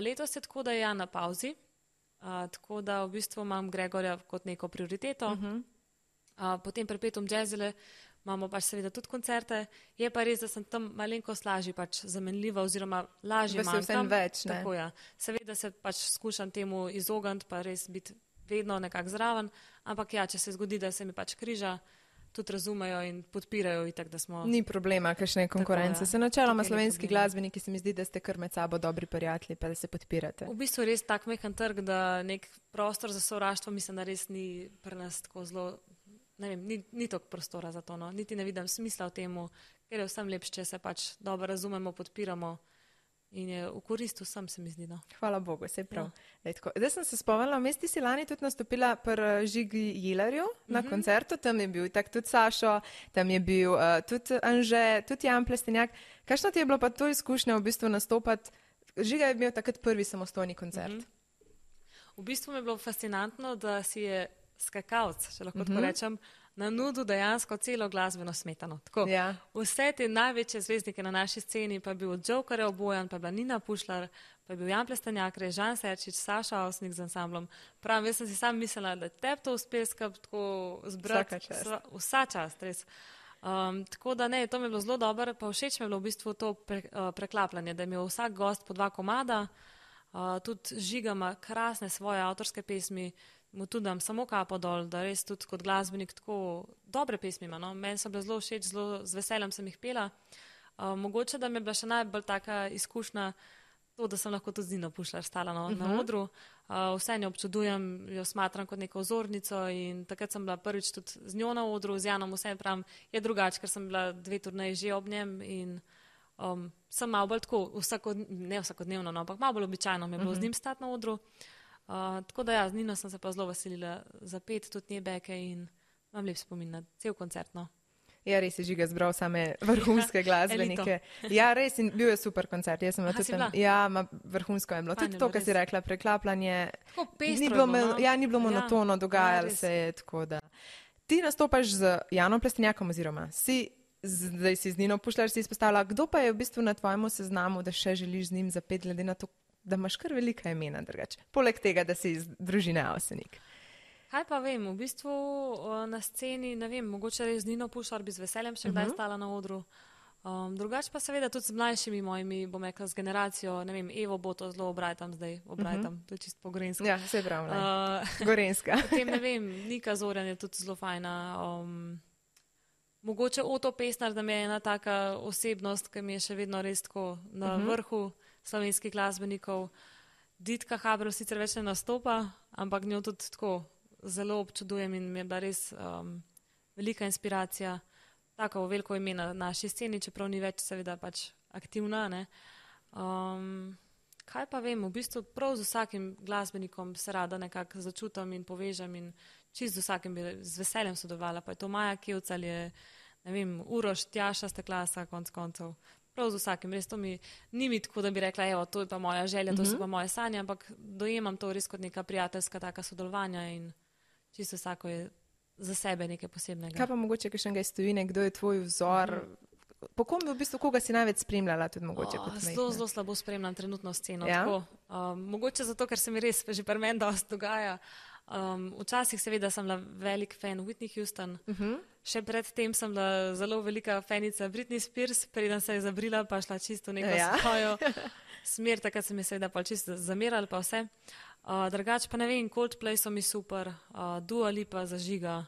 Letos je tako, da je Jan na pauzi, tako da v bistvu imam Gregorja kot neko prioriteto. Potem Perpetuum Jazzile imamo pač seveda tudi koncerte. Je pa res, da sem tam malenkost lažje pač zamenljiva oziroma lažje manjkam. Več, ne? Tako, ja. Seveda se pač skušam temu izogniti, pa res biti vedno nekako zraven, ampak ja, če se zgodi, da se mi pač križa, tudi razumejo in podpirajo itak, da smo... Ni problema, kakšne konkurence. Se načeloma slovenski glasbeniki se mi zdi, da ste kar med sabo dobri prijatelji, pa da se podpirate. V bistvu res tak mehen trg, da nek prostor za sovraštvo mislim, da res ni pri nas tako zelo... Ne vem, ni toliko prostora za to, no. Niti ne vidim smisla v temu, ker je vsem lepše, če se pač dobro razumemo, podpiramo in je v korist vsem, se mi zdi, no. Hvala Bogu, sej prav. Ja. Zdaj sem se spomnila, vmes ti si lani tudi nastopila pri Žigi Jilerju na koncertu, tam je bil tak tudi Sašo, tam je bil tudi Anže, tudi Jan Plestenjak. Kakšno ti je bilo pa to izkušnja v bistvu nastopati? Žiga je imel takrat prvi samostojni koncert. V bistvu mi je bilo fascinantno, da si je skakalc, če lahko tako rečem, na nudu dejansko celo glasbeno smetano. Tako, ja. Vse te največje zvezdnike na naši sceni, pa je bil od Jokerja obojan, pa je bila Nina Pušlar, pa je bil Jan Plestenjak, Žan Serčič, Saša Avsenik z ansamblom. Pravim, jaz sem si sam mislila, da tebi to uspe tako zbrati vsa čast, res. Tako da ne, to mi je bilo zelo dobro, pa všeč mi je bilo v bistvu to preklapljanje, da je imel vsak gost po 2 komada, tudi Žiga ima krasne svoje avtorske pesmi, mu tudi dam samo kapo dol, da res tudi kot glasbenik tako dobre pesmi ima, no. Meni so bile zelo všeč, zelo z veseljem sem jih pela. Mogoče, da mi je bila še najbolj taka izkušnja to, da sem lahko tudi z Nino Pušlar stala na odru. Vse njo občudujem, jo smatram kot neko vzornico in takrat sem bila prvič tudi z njo na odru, z Janom vsem pravim, je drugače, ker sem bila 2 turneji že ob njem in sem malo bolj tako, ne vsakodnevno, no, ampak malo bolj običajno mi je bilo z njim stati na odru. Tako da ja, z Nino sem se pa zelo veselila zapeti tudi nje beke in imam lep spomin na cel koncert, no. Ja, res je Žiga zbral same vrhunske glasbenike. Ja, res, in bil je super koncert. Jaz sem tudi tam. Ja, vrhunsko je bilo. Tudi to, kar si rekla, preklapljanje. Tako pestro je bilo, no. Ja, ni bilo monotono, dogajalo se je, tako da. Ti nastopaš z Janom Plestenjakom oziroma zdaj si z Nino Pušlar si izpostavila. Kdo pa je v bistvu na tvojemu seznamu, da še želiš z njim zapeti, glede na to, da imaš kar velika imena drugače. Poleg tega, da si iz družine Avsenik. Kaj pa vem, v bistvu na sceni, ne vem, mogoče res Nino Pušar bi z veseljem še kdaj stala na odru. Drugače pa seveda tudi z mlajšimi mojimi, bom rekla, z generacijo, ne vem, Evo bo to zelo obrajtam zdaj, to je čisto po gorensko. Ja, se pravi, gorenska. Potem ne vem, Nika Zorjan je tudi zelo fajna. Mogoče Oto Pestnar, da mi je ena taka osebnost, ki mi je še vedno res tako na vrhu slovenskih glasbenikov. Ditka Habrov sicer več ne nastopa, ampak njo tudi tako zelo občudujem in mi je bila res velika inspiracija. Tako veliko ime na naši sceni, čeprav ni več seveda pač aktivna. Ne. Kaj pa vem, v bistvu prav z vsakim glasbenikom se rada nekako začutam in povežem in čist z vsakim bi z veseljem sodelovala. Pa je to Maja Kevc ali je, ne vem, Uroš, Tjaša Steklasa, konc koncev. Prav z vsakim, res to ni mi tako, da bi rekla, evo, to je pa moja želja, to so pa moje sanje, ampak dojemam to res kot neka prijateljska taka sodelovanja in čisto vsako je za sebe nekaj posebnega. Kaj pa mogoče kakšnega iz tujine, kdo je tvoj vzor? Po kom v bistvu, koga si največ spremljala tudi mogoče kot mejna? Zelo slabo spremljam trenutno sceno. Ja? Mogoče zato, ker se mi res že pri meni dosti dogaja. Včasih seveda sem bila velik fan Whitney Houston. Še predtem sem bila zelo velika fanica Britney Spears, preden se je zabrila pa šla čisto neko svojo smer, takrat se mi seveda pa čisto zamerali pa vse. Drugače pa ne vem, Coldplay so mi super, Dua Lipa zažiga.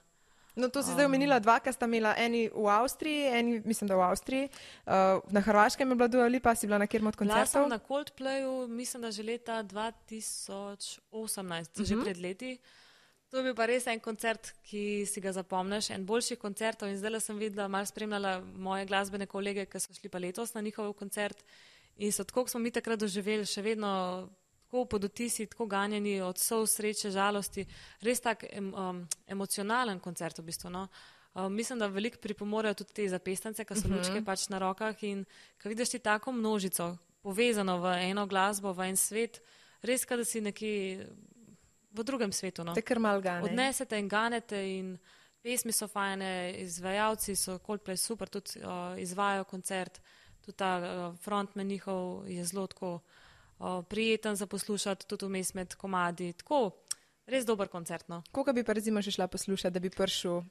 No, to si zdaj omenila dva, ki sta imela eni v Avstriji, eni mislim, da v Avstriji. Na Hrvaškem je bila Dua Lipa, si bila na kjer od koncertov? Bila sem na Coldplayu, mislim, da že leta 2018, že pred leti. To je bil pa res en koncert, ki si ga zapomniš, en boljših koncertov in zdaj sem videla, malo spremljala moje glasbene kolege, ki so šli pa letos na njihov koncert in so tako, ko smo mi takrat doživeli, še vedno tako pod vtisi, tako ganjeni od solz, sreče, žalosti, res tak emocionalen koncert v bistvu. No. Mislim, da veliko pripomorejo tudi te zapestance, ki so lučke pač na rokah in ko vidiš ti tako množico povezano v eno glasbo, v en svet, res, kada si nekje v drugem svetu. No. Te kar mal gane. Odnesete in ganete in pesmi so fajne, izvajalci so Coldplay super, tudi izvajajo koncert, tudi ta frontman njihov je zelo tako prijeten za poslušati, tudi vmes med komadi. Tako, res dober koncert. No. Koga bi pa recimo še šla poslušati, da bi prišel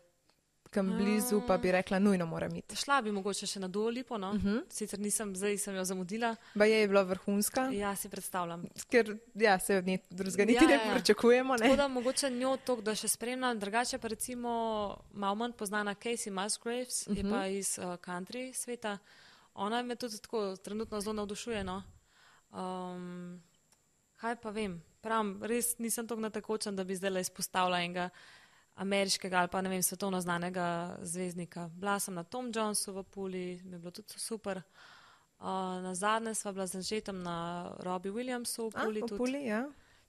kam blizu, pa bi rekla, nujno moram iti? Šla bi mogoče še na Dua Lipo, no. Sicer nisem, zdaj sem jo zamudila. Ba je bila vrhunska? Ja, si predstavljam. Ker ja, se od nje drugega niti ne pričakujemo. Ne? Tako da mogoče njo toliko, da še spremljam. Drugače pa recimo malo manj poznana Casey Musgraves, je pa iz country sveta. Ona me tudi tako trenutno zelo navdušuje, no. Kaj pa vem, pravim, res nisem toliko natekočen, da bi zdaj izpostavila enega ameriškega ali pa ne vem, svetovno znanega zvezdnika. Bila sem na Tom Jonesu v Puli, mi je bilo tudi super. Nazadnje sva bila z Anžetom na Robbie Williamsu v Puli. V Puli, ja.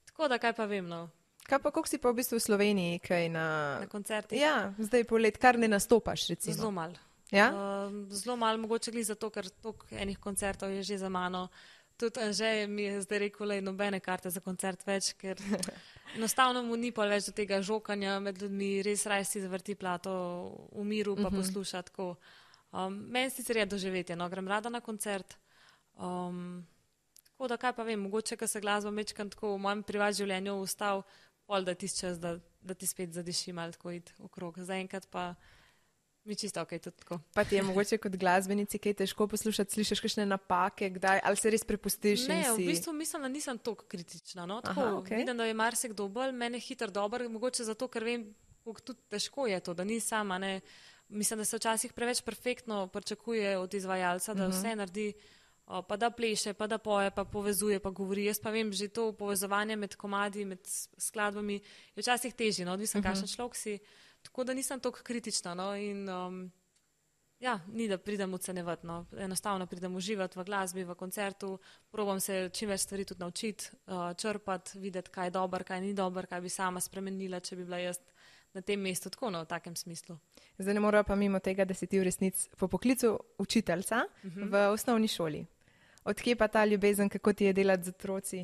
Tako da kaj pa vem, no. Kaj pa, koliko si pa v bistvu v Sloveniji, kaj na koncertih? Ja, zdaj po let, kar ne nastopaš recimo. Zelo malo. Ja? Zelo malo, mogoče gli zato, ker toliko enih koncertov je že za mano. Tudi Anže mi je zdaj rekel, da je nobene karte za koncert več, ker enostavno mu ni pa več do tega žokanja med ljudmi, res raje si zavrti plato v miru pa posluša tako. Meni sicer je doživetje, no, grem rada na koncert. Tako da kaj pa vem, mogoče, ko se glasba mečkam tako v mojem privat življenju ustal, pol da tisti čas, da ti spet zadiši malo tako iti okrog. Zaenkrat pa mi čisto ok, tudi tako. Pa ti je mogoče kot glasbenici kaj težko poslušati, slišiš kakšne napake, kdaj, ali se res prepustiš in si? Ne, v bistvu mislim, da nisem toliko kritična, no, tako, vidim, da je marsikdo bolj, mene hitro dober, mogoče zato, ker vem, kako tudi težko je to, da ni sama, ne, mislim, da se včasih preveč perfektno pričakuje od izvajalca, da vse naredi, pa da pleše, pa da poje, pa povezuje, pa govori, jaz pa vem, že to povezovanje med komadi, med skladbami je včasih težje, no, odvisno kakšen človek si. Tako da nisem toliko kritična, no, in ja, ni da pridem ocenjevati, no, enostavno pridem uživati v glasbi, v koncertu, probam se čim več stvari tudi naučiti, črpati, videti, kaj je dober, kaj ni dober, kaj bi sama spremenila, če bi bila jaz na tem mestu, tako, no, v takem smislu. Zdaj ne moramo pa mimo tega, da si ti v resnici po poklicu učiteljca v osnovni šoli. Odkje pa ta ljubezen, kako ti je delati z otroci?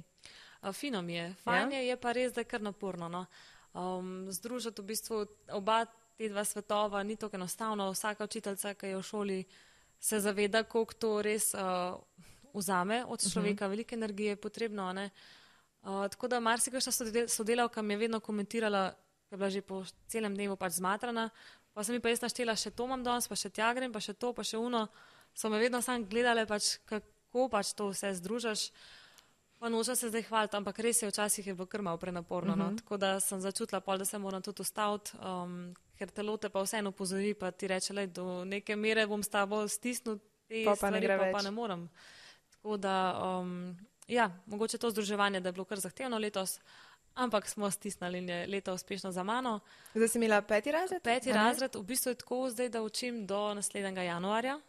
Fino mi je, fajn je pa res, da je kar naporno, no. Združiti v bistvu oba te dva svetova ni tako enostavno. Vsaka učiteljica, ki je v šoli, se zaveda, koliko to res vzame od človeka, veliko energije je potrebno, ne. Tako da marsikajša sodelavka mi je vedno komentirala, ki je bila že po celem dnevu pač zmatrana, pa sem mi pa jaz naštela, še to imam danes, pa še tja grem, pa še to, pa še uno. So me vedno sam gledale, pač, kako pač to vse združaš. Pa nočem se zdaj hvaliti, ampak res je, včasih je bilo kar malo prenaporno. No? Tako da sem začutila pol, da se moram tudi ustaviti, ker telo te pa vseeno pozori, pa ti reče, lej, do neke mere bom s tabo stisnil te stvari, pa ne morem. Tako da, ja, mogoče to združevanje, da je bilo kar zahtevno letos, ampak smo stisnili in je leto uspešno za mano. Zdaj si imela 5. razred? 5. razred, v bistvu je tako zdaj, da učim do naslednjega januarja,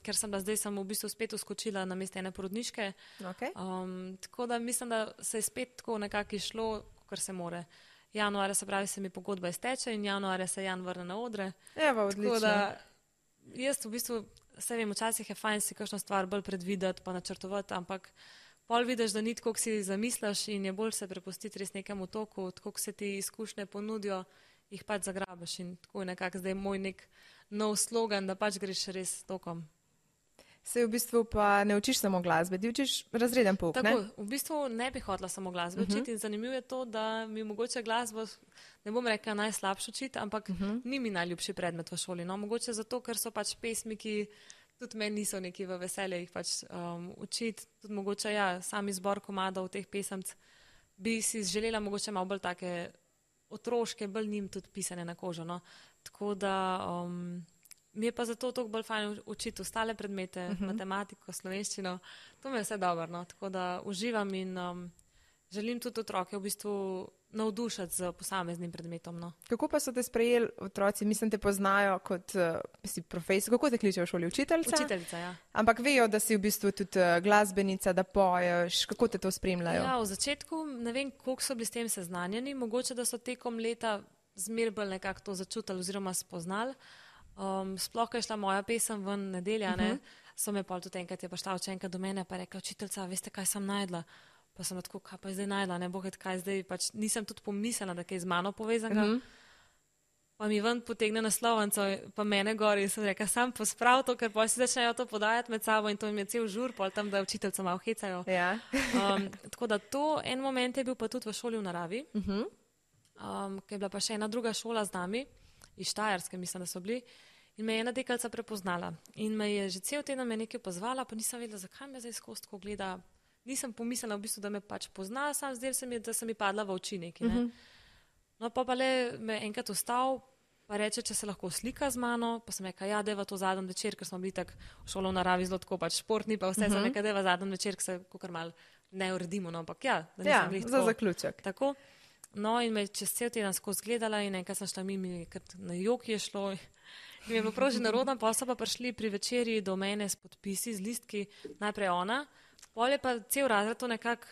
ker sem v bistvu spet uskočila na mesto ene porodniške. Okay. Tako da mislim, da se je spet tako nekako išlo, kar se more. Januarja se pravi, se mi pogodba izteče in januarja se Jan vrne na odre. Evo, odlično. Tako da jaz v bistvu, vse vem, včasih je fajn si kakšno stvar bolj predvideti pa načrtovati, ampak pol vidiš, da ni tako, kot si zamisliš in je bolj se prepustiti res nekemu toku, tako, ko se ti izkušnje ponudijo, jih pač zagrabiš in tako je nekako zdaj moj nek nov slogan, da pač greš res tokom. Se v bistvu pa ne učiš samo glasbe, ti učiš razreden pouk, tako, ne? V bistvu ne bi hotela samo glasbe učiti in zanimivo je to, da mi mogoče glasbo, ne bom rekla najslabše učiti, ampak ni mi najljubši predmet v šoli, no, mogoče zato, ker so pač pesmi, ki tudi meni niso neki v veselje jih pač učiti, tudi mogoče ja, sam izbor komadov teh pesemc bi si želela mogoče malo bolj take otroške, bolj njim tudi pisane na kožo, no. Tako da mi je pa zato toliko bolj fajn učiti ostale predmete, matematiko, slovenščino, to mi je vse dobro, no. Tako da uživam in želim tudi otroke v bistvu navdušati z posameznim predmetom, no. Kako pa so te sprejeli otroci? Mislim, te poznajo kot si profesor. Kako te kličejo v šoli? Učiteljica? Učiteljica, ja. Ampak vejo, da si v bistvu tudi glasbenica, da poješ. Kako te to spremljajo? Ja, v začetku ne vem, koliko so bili s tem seznanjeni. Mogoče, da so tekom leta zmer bolj nekako to začutili oziroma spoznali. Sploh, ko je šla moja pesem ven nedelja, ne, so me pol tudi enkrat je prišla učenka do mene pa rekla, učiteljica, veste, kaj sem najdla? Pa sem tako, kaj pa je zdaj najdla, ne bo kaj zdaj, pač nisem tudi pomislila, da kaj z mano povezanga. Pa mi ven potegne naslovnico, pa mene gori in sem rekla, sam posprav to, ker pol si začnejo to podajati med sabo in to jim je cel žur, pol tam, da učiteljca malo hecajo. Ja. Tako da to en moment je bil pa tudi v šoli v naravi, ker je bila pa še ena druga šola z nami, iz Štajerske, mislim, da so bili, in me je ena dekalica prepoznala. In me je že cel teden me nekaj pozvala, pa nisem vedela, zakaj me zdaj skozi tako gleda. Nisem pomislila v bistvu, da me pač pozna, sam zdaj se mi je, da sem mi padla v oči neki, ne. No, pa le me enkrat ustal, pa reče, če se lahko slika z mano, pa sem rekla, ja, deva to zadnji večer, ker smo bili tako v šolo v naravi zelo tako pač športni, pa vse sem rekla, deva zadnji večer, ker se kakor malo ne uredimo, no, ampak ja, da nisem bili tako. Za zaključek. Tako. No, in me čez cel teden skozi gledala in enkrat sem šla mimo, ker na jok je šlo. In mi je bilo prav že narodno, pa so pa prišli pri večerji do mene s podpisi, z listki, najprej ona, pol je pa cel razred to nekako,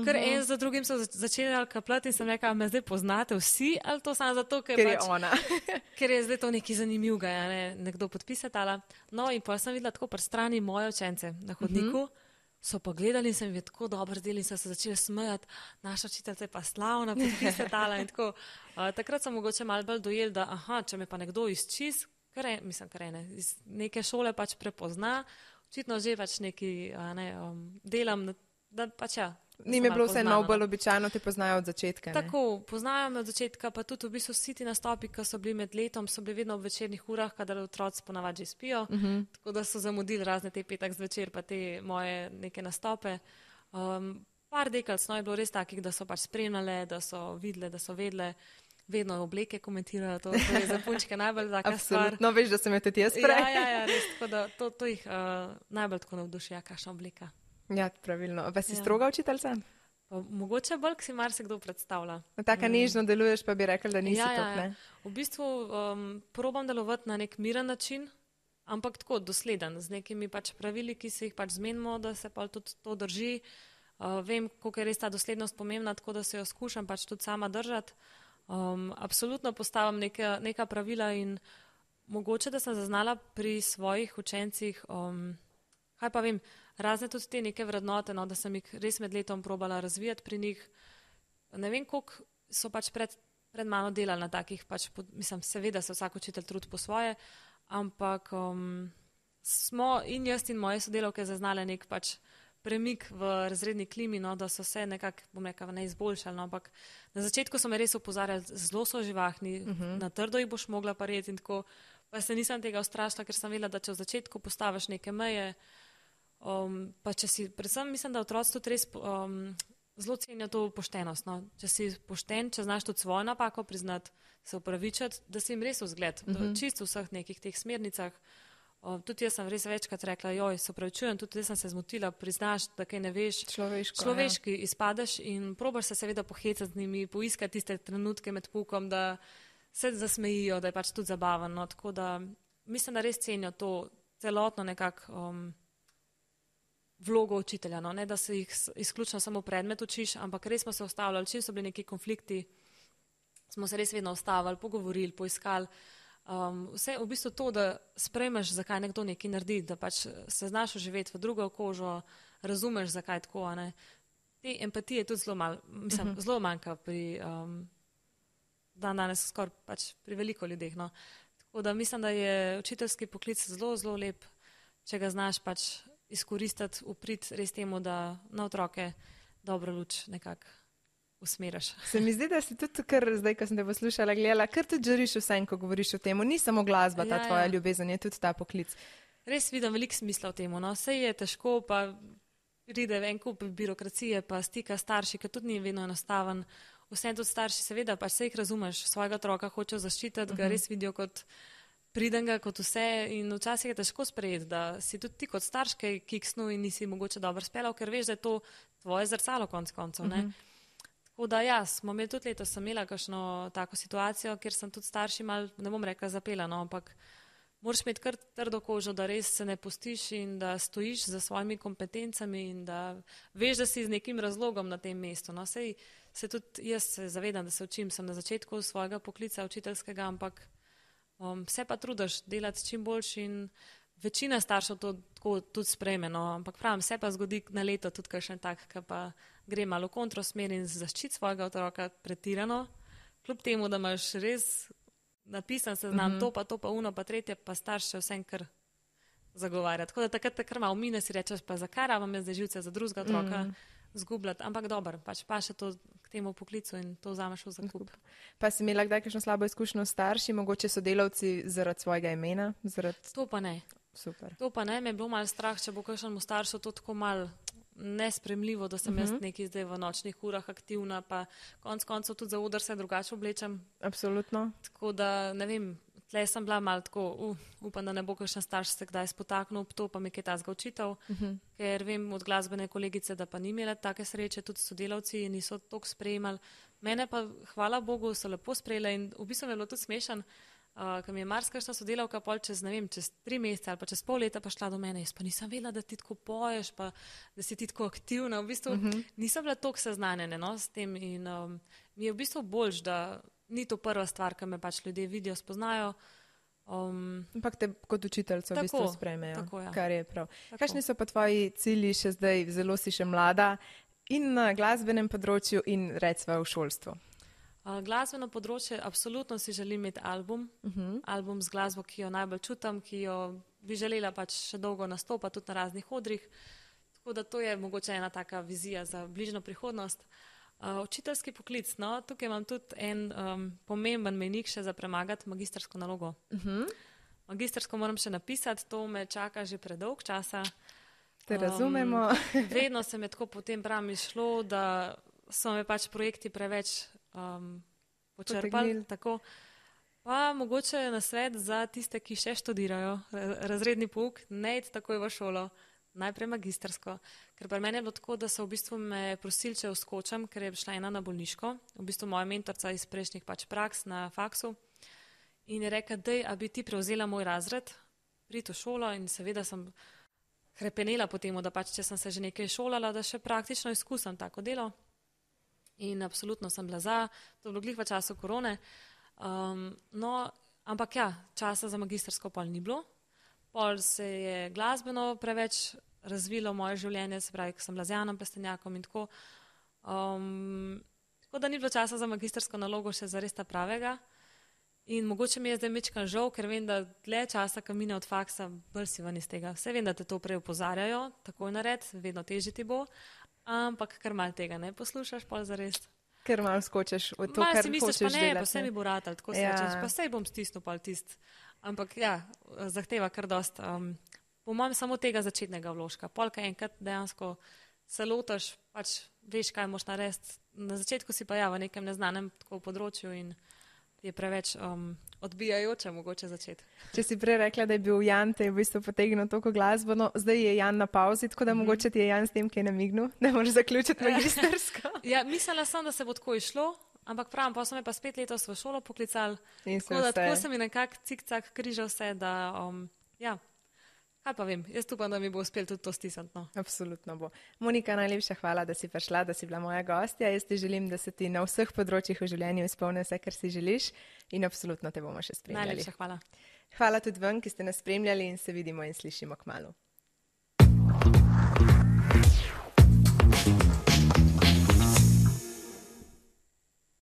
ker en za drugim so začeli kapljati in sem rekla, me zdaj poznate vsi, ali to samo zato, ker je ona. Ker je zdaj to nekaj zanimivega, ja, ne, nekdo podpisatala. No, in pa sem videla tako pri strani moje učence na hodniku, so pa gledali in se mi je tako dobro zdeli in so se začeli smejati, naša učiteljica je pa slavna, podpisatala in tako. Takrat sem mogoče malo bolj dojel, da če me pa nekdo iz čist, iz neke šole pač prepozna, očitno že pač neki delam, da pač ja. Ni mi bilo vse malo bolj običajno, te poznajo od začetka, ne? Tako, poznajo me od začetka, pa tudi v bistvu vsi ti nastopi, ki so bili med letom, so bili vedno ob večernih urah, kadar otroci ponavadi že spijo, tako da so zamudili razne te petek zvečer, pa te moje neke nastope. Par dekalic, no, je bilo res takih, da so pač spremljale, da so videle, da so vedele, vedno obleke komentirajo, to je za punčke najbolj taka stvar. Absolutno, veš, da sem jo tudi jaz prej. Ja, res, tako da to jih najbolj tako navduši, kakšna obleka. Ja, pravilno. Pa si stroga učiteljica? Mogoče bolj, ki si marsikdo predstavlja. Taka nežno deluješ, pa bi rekli, da nisi tako, ne? V bistvu probam delovati na nek miren način, ampak tako dosleden, z nekimi pač pravili, ki se jih pač zmenimo, da se pa tudi to drži. Vem, koliko je res ta doslednost pomembna, tako da se jo skušam pač tudi sama držati. Absolutno postavim neka pravila in mogoče, da sem zaznala pri svojih učencih, kaj pa vem, razne tudi te neke vrednote, no, da sem jih res med letom probala razvijati pri njih. Ne vem, koliko so pač pred mano delali na takih, pač, mislim, seveda se vsak učitelj trudi po svoje, ampak smo in jaz in moje sodelavke zaznale nek pač premik v razredni klimi, no, da so se nekako, bom rekla, ne izboljšali, no, ampak na začetku so me res opozarjali, zelo so živahni, na trdo jih boš mogla parjeti in tako, pa se nisem tega ustrašila, ker sem vedela, da če v začetku postaviš neke meje, pa če si, predvsem mislim, da otroci tudi res zelo cenijo to poštenost, no, če si pošten, če znaš tudi svojo napako priznati, se upravičati, da si jim res vzgled, čisto v vseh nekih teh smernicah. Tudi jaz sem res večkrat rekla, joj, se upravičujem, tudi jaz sem se zmotila, priznaš, da kaj ne veš, človeški izpadeš in probaš se seveda pohecati z njimi, poiskati tiste trenutke med poukom, da se zasmejijo, da je pač tudi zabavno, no, tako da mislim, da res cenijo to celotno nekako vlogo učitelja, no, ne da se jih izključno samo predmet učiš, ampak res smo se ustavljali, čim so bili neki konflikti, smo se res vedno ustavili, pogovorili, poiskali. Vse v bistvu to, da sprejmeš, zakaj nekdo nekaj naredi, da pač se znaš vživeti v drugo kožo, razumeš, zakaj tako, ne. Te empatije tudi zelo malo, mislim, zelo manjka pri danes skoraj pač pri veliko ljudeh, no. Tako da mislim, da je učiteljski poklic zelo, zelo lep, če ga znaš pač izkoristiti, upriti res temu, da na otroke dobro luč nekako usmeraš. Se mi zdi, da si tudi kar, zdaj, ko sem te poslušala, gledala, kar tudi žariš vsem, ko govoriš o temu. Ni samo glasba, ta tvoja ljubezen, je tudi ta poklic. Res vidim veliko smisla v temu, no. Saj je težko, pa pride en kup birokracije, pa stika starši, ki tudi ni vedno enostaven. Vsem tudi starši, seveda, pač se jih razumeš, svojega otroka hočejo zaščititi, ga res vidijo kot pridenga, kot vse in včasih je težko sprejeti, da si tudi ti kot starš kaj kiksnil in nisi mogoče dobro speljal, ker veš, da je to tvoje zrcalo konec koncev, ne. Tako da ja, smo imeli tudi letos, sem imela kakšno tako situacijo, kjer sem tudi starši mal, ne bom rekla zapela, no, ampak moraš imeti kar trdo kožo, da res se ne pustiš in da stojiš za svojimi kompetencami in da veš, da si z nekim razlogom na tem mestu, no, sej se tudi jaz se zavedam, da se učim, sem na začetku svojega poklica učiteljskega, ampak se pa trudiš delati čim boljši in večina staršev to tako tudi sprejme, no, ampak pravim, se pa zgodi na leto tudi kakšen tak, ki pa gre malo v kontrosmer in zaščiti svojega otroka pretirano, kljub temu, da imaš res napisan seznam to pa uno, pa tretje, pa starš še vsem kar zagovarja. Tako da takrat kar malo mine, si rečeš, pa zakaj rabim jaz zdaj živce za drugega otroka zgubljati, ampak dobro, pač pa še to k temu poklicu in to vzameš v zakup. Pa si imela kdaj kakšno slabo izkušnjo s starši, mogoče sodelavci zaradi svojega imena? To pa ne. Super. To pa ne, me je bilo malo strah, če bo kakšnemu staršu to tako malo nespremljivo, da sem jaz nekaj zdaj v nočnih urah aktivna, pa konec koncev tudi za oder se drugače oblečem. Absolutno. Tako da, ne vem, tle sem bila malo tako, upam, da ne bo kakšen starš se kdaj spotaknil ob to, pa mi kaj tazga učitev, ker vem od glasbene kolegice, da pa ni imela take sreče, tudi sodelavci niso toliko sprejemali. Mene pa, hvala Bogu, so lepo sprejeli in v bistvu mi je bilo tudi smešen, ker mi je marsikakšna sodelavka pol čez 3 mesece ali pa čez pol leta pa šla do mene, jaz pa nisem vedela, da ti tako poješ, pa da si ti tako aktivna, v bistvu nisem bila toliko seznanjena, no, s tem in mi je v bistvu boljš, da ni to prva stvar, ki me pač ljudje vidijo, spoznajo. Ampak te kot učiteljco v bistvu sprejmejo, tako, ja. Kar je prav. Kakšni so pa tvoji cilji še zdaj, zelo si še mlada, in na glasbenem področju in recimo v šolstvu? Glasbeno področje, absolutno si želim imeti album z glasbo, ki jo najbolj čutim, ki jo bi želela pač še dolgo nastopati tudi na raznih odrih, tako da to je mogoče ena taka vizija za bližnjo prihodnost. Učiteljski poklic, no, tukaj imam tudi en pomemben mejnik še za premagati magistrsko nalogo. Magistrsko moram še napisati, to me čaka že predolg časa. Te razumemo. Vedno se mi tako potem pravim izšlo, da so me pač projekti preveč počrpali, tako. Pa mogoče nasvet za tiste, ki še študirajo razredni pouk, ne iti takoj v šolo, najprej magistrsko. Ker pri meni je bilo tako, da so v bistvu me prosili, če vskočam, ker je šla ena na bolniško, v bistvu moja mentorca iz prejšnjih pač praks na faksu in je rekla, dej, a bi ti prevzela moj razred, priti v šolo in seveda sem hrepenela po temu, da pač, če sem se že nekaj šolala, da še praktično izkusim tako delo. In absolutno sem bila za, to je bilo glih v času korone. No, ampak ja, časa za magistrsko pol ni bilo. Pol se je glasbeno preveč razvilo moje življenje, se pravi, ko sem bila z Janom Plestenjakom in tako. Tako da ni bilo časa za magistrsko nalogo še zares ta pravega. In mogoče mi je zdaj mečkan žal, ker vem, da dlje časa, ko mine od faksa, bolj si ven iz tega. Vse vem, da te to prej opozarjajo, takoj nared, vedno težje ti bo, ampak kar mal tega ne poslušaš, pol zares. Ker malo skočiš v to, kar si misliš, hočeš delati. Pa vse mi bo ratal, tako se rečeš, pa sej bom stisnil pol tist. Ampak ja, zahteva kar dost. Po mojem samo tega začetnega vložka. Polka enkrat dejansko se lotaš, pač veš, kaj moš narediti. Na začetku si pa ja v nekem neznanem tako področju in je preveč odbijajoče mogoče začeti. Če si prej rekla, da je bil Jan, te je v bistvu potegnil toliko glasbo, no zdaj je Jan na pauzi, tako da mogoče ti je Jan s tem, ki je namignil, da moraš zaključiti magistersko. Ja, mislila sem, da se bo tako išlo, ampak pravim, pa so me pa spet letos v šolo poklicali, tako se mi nekako cik-cak križal vse, da ja, kaj pa vem, jaz upam, da mi bo uspel tudi to stisniti. No. Absolutno bo. Monika, najlepša hvala, da si prišla, da si bila moja gostja. Jaz ti želim, da se ti na vseh področjih v življenju izpolni vse, kar si želiš in absolutno te bomo še spremljali. Najlepša hvala. Hvala tudi vam, ki ste nas spremljali in se vidimo in slišimo kmalu.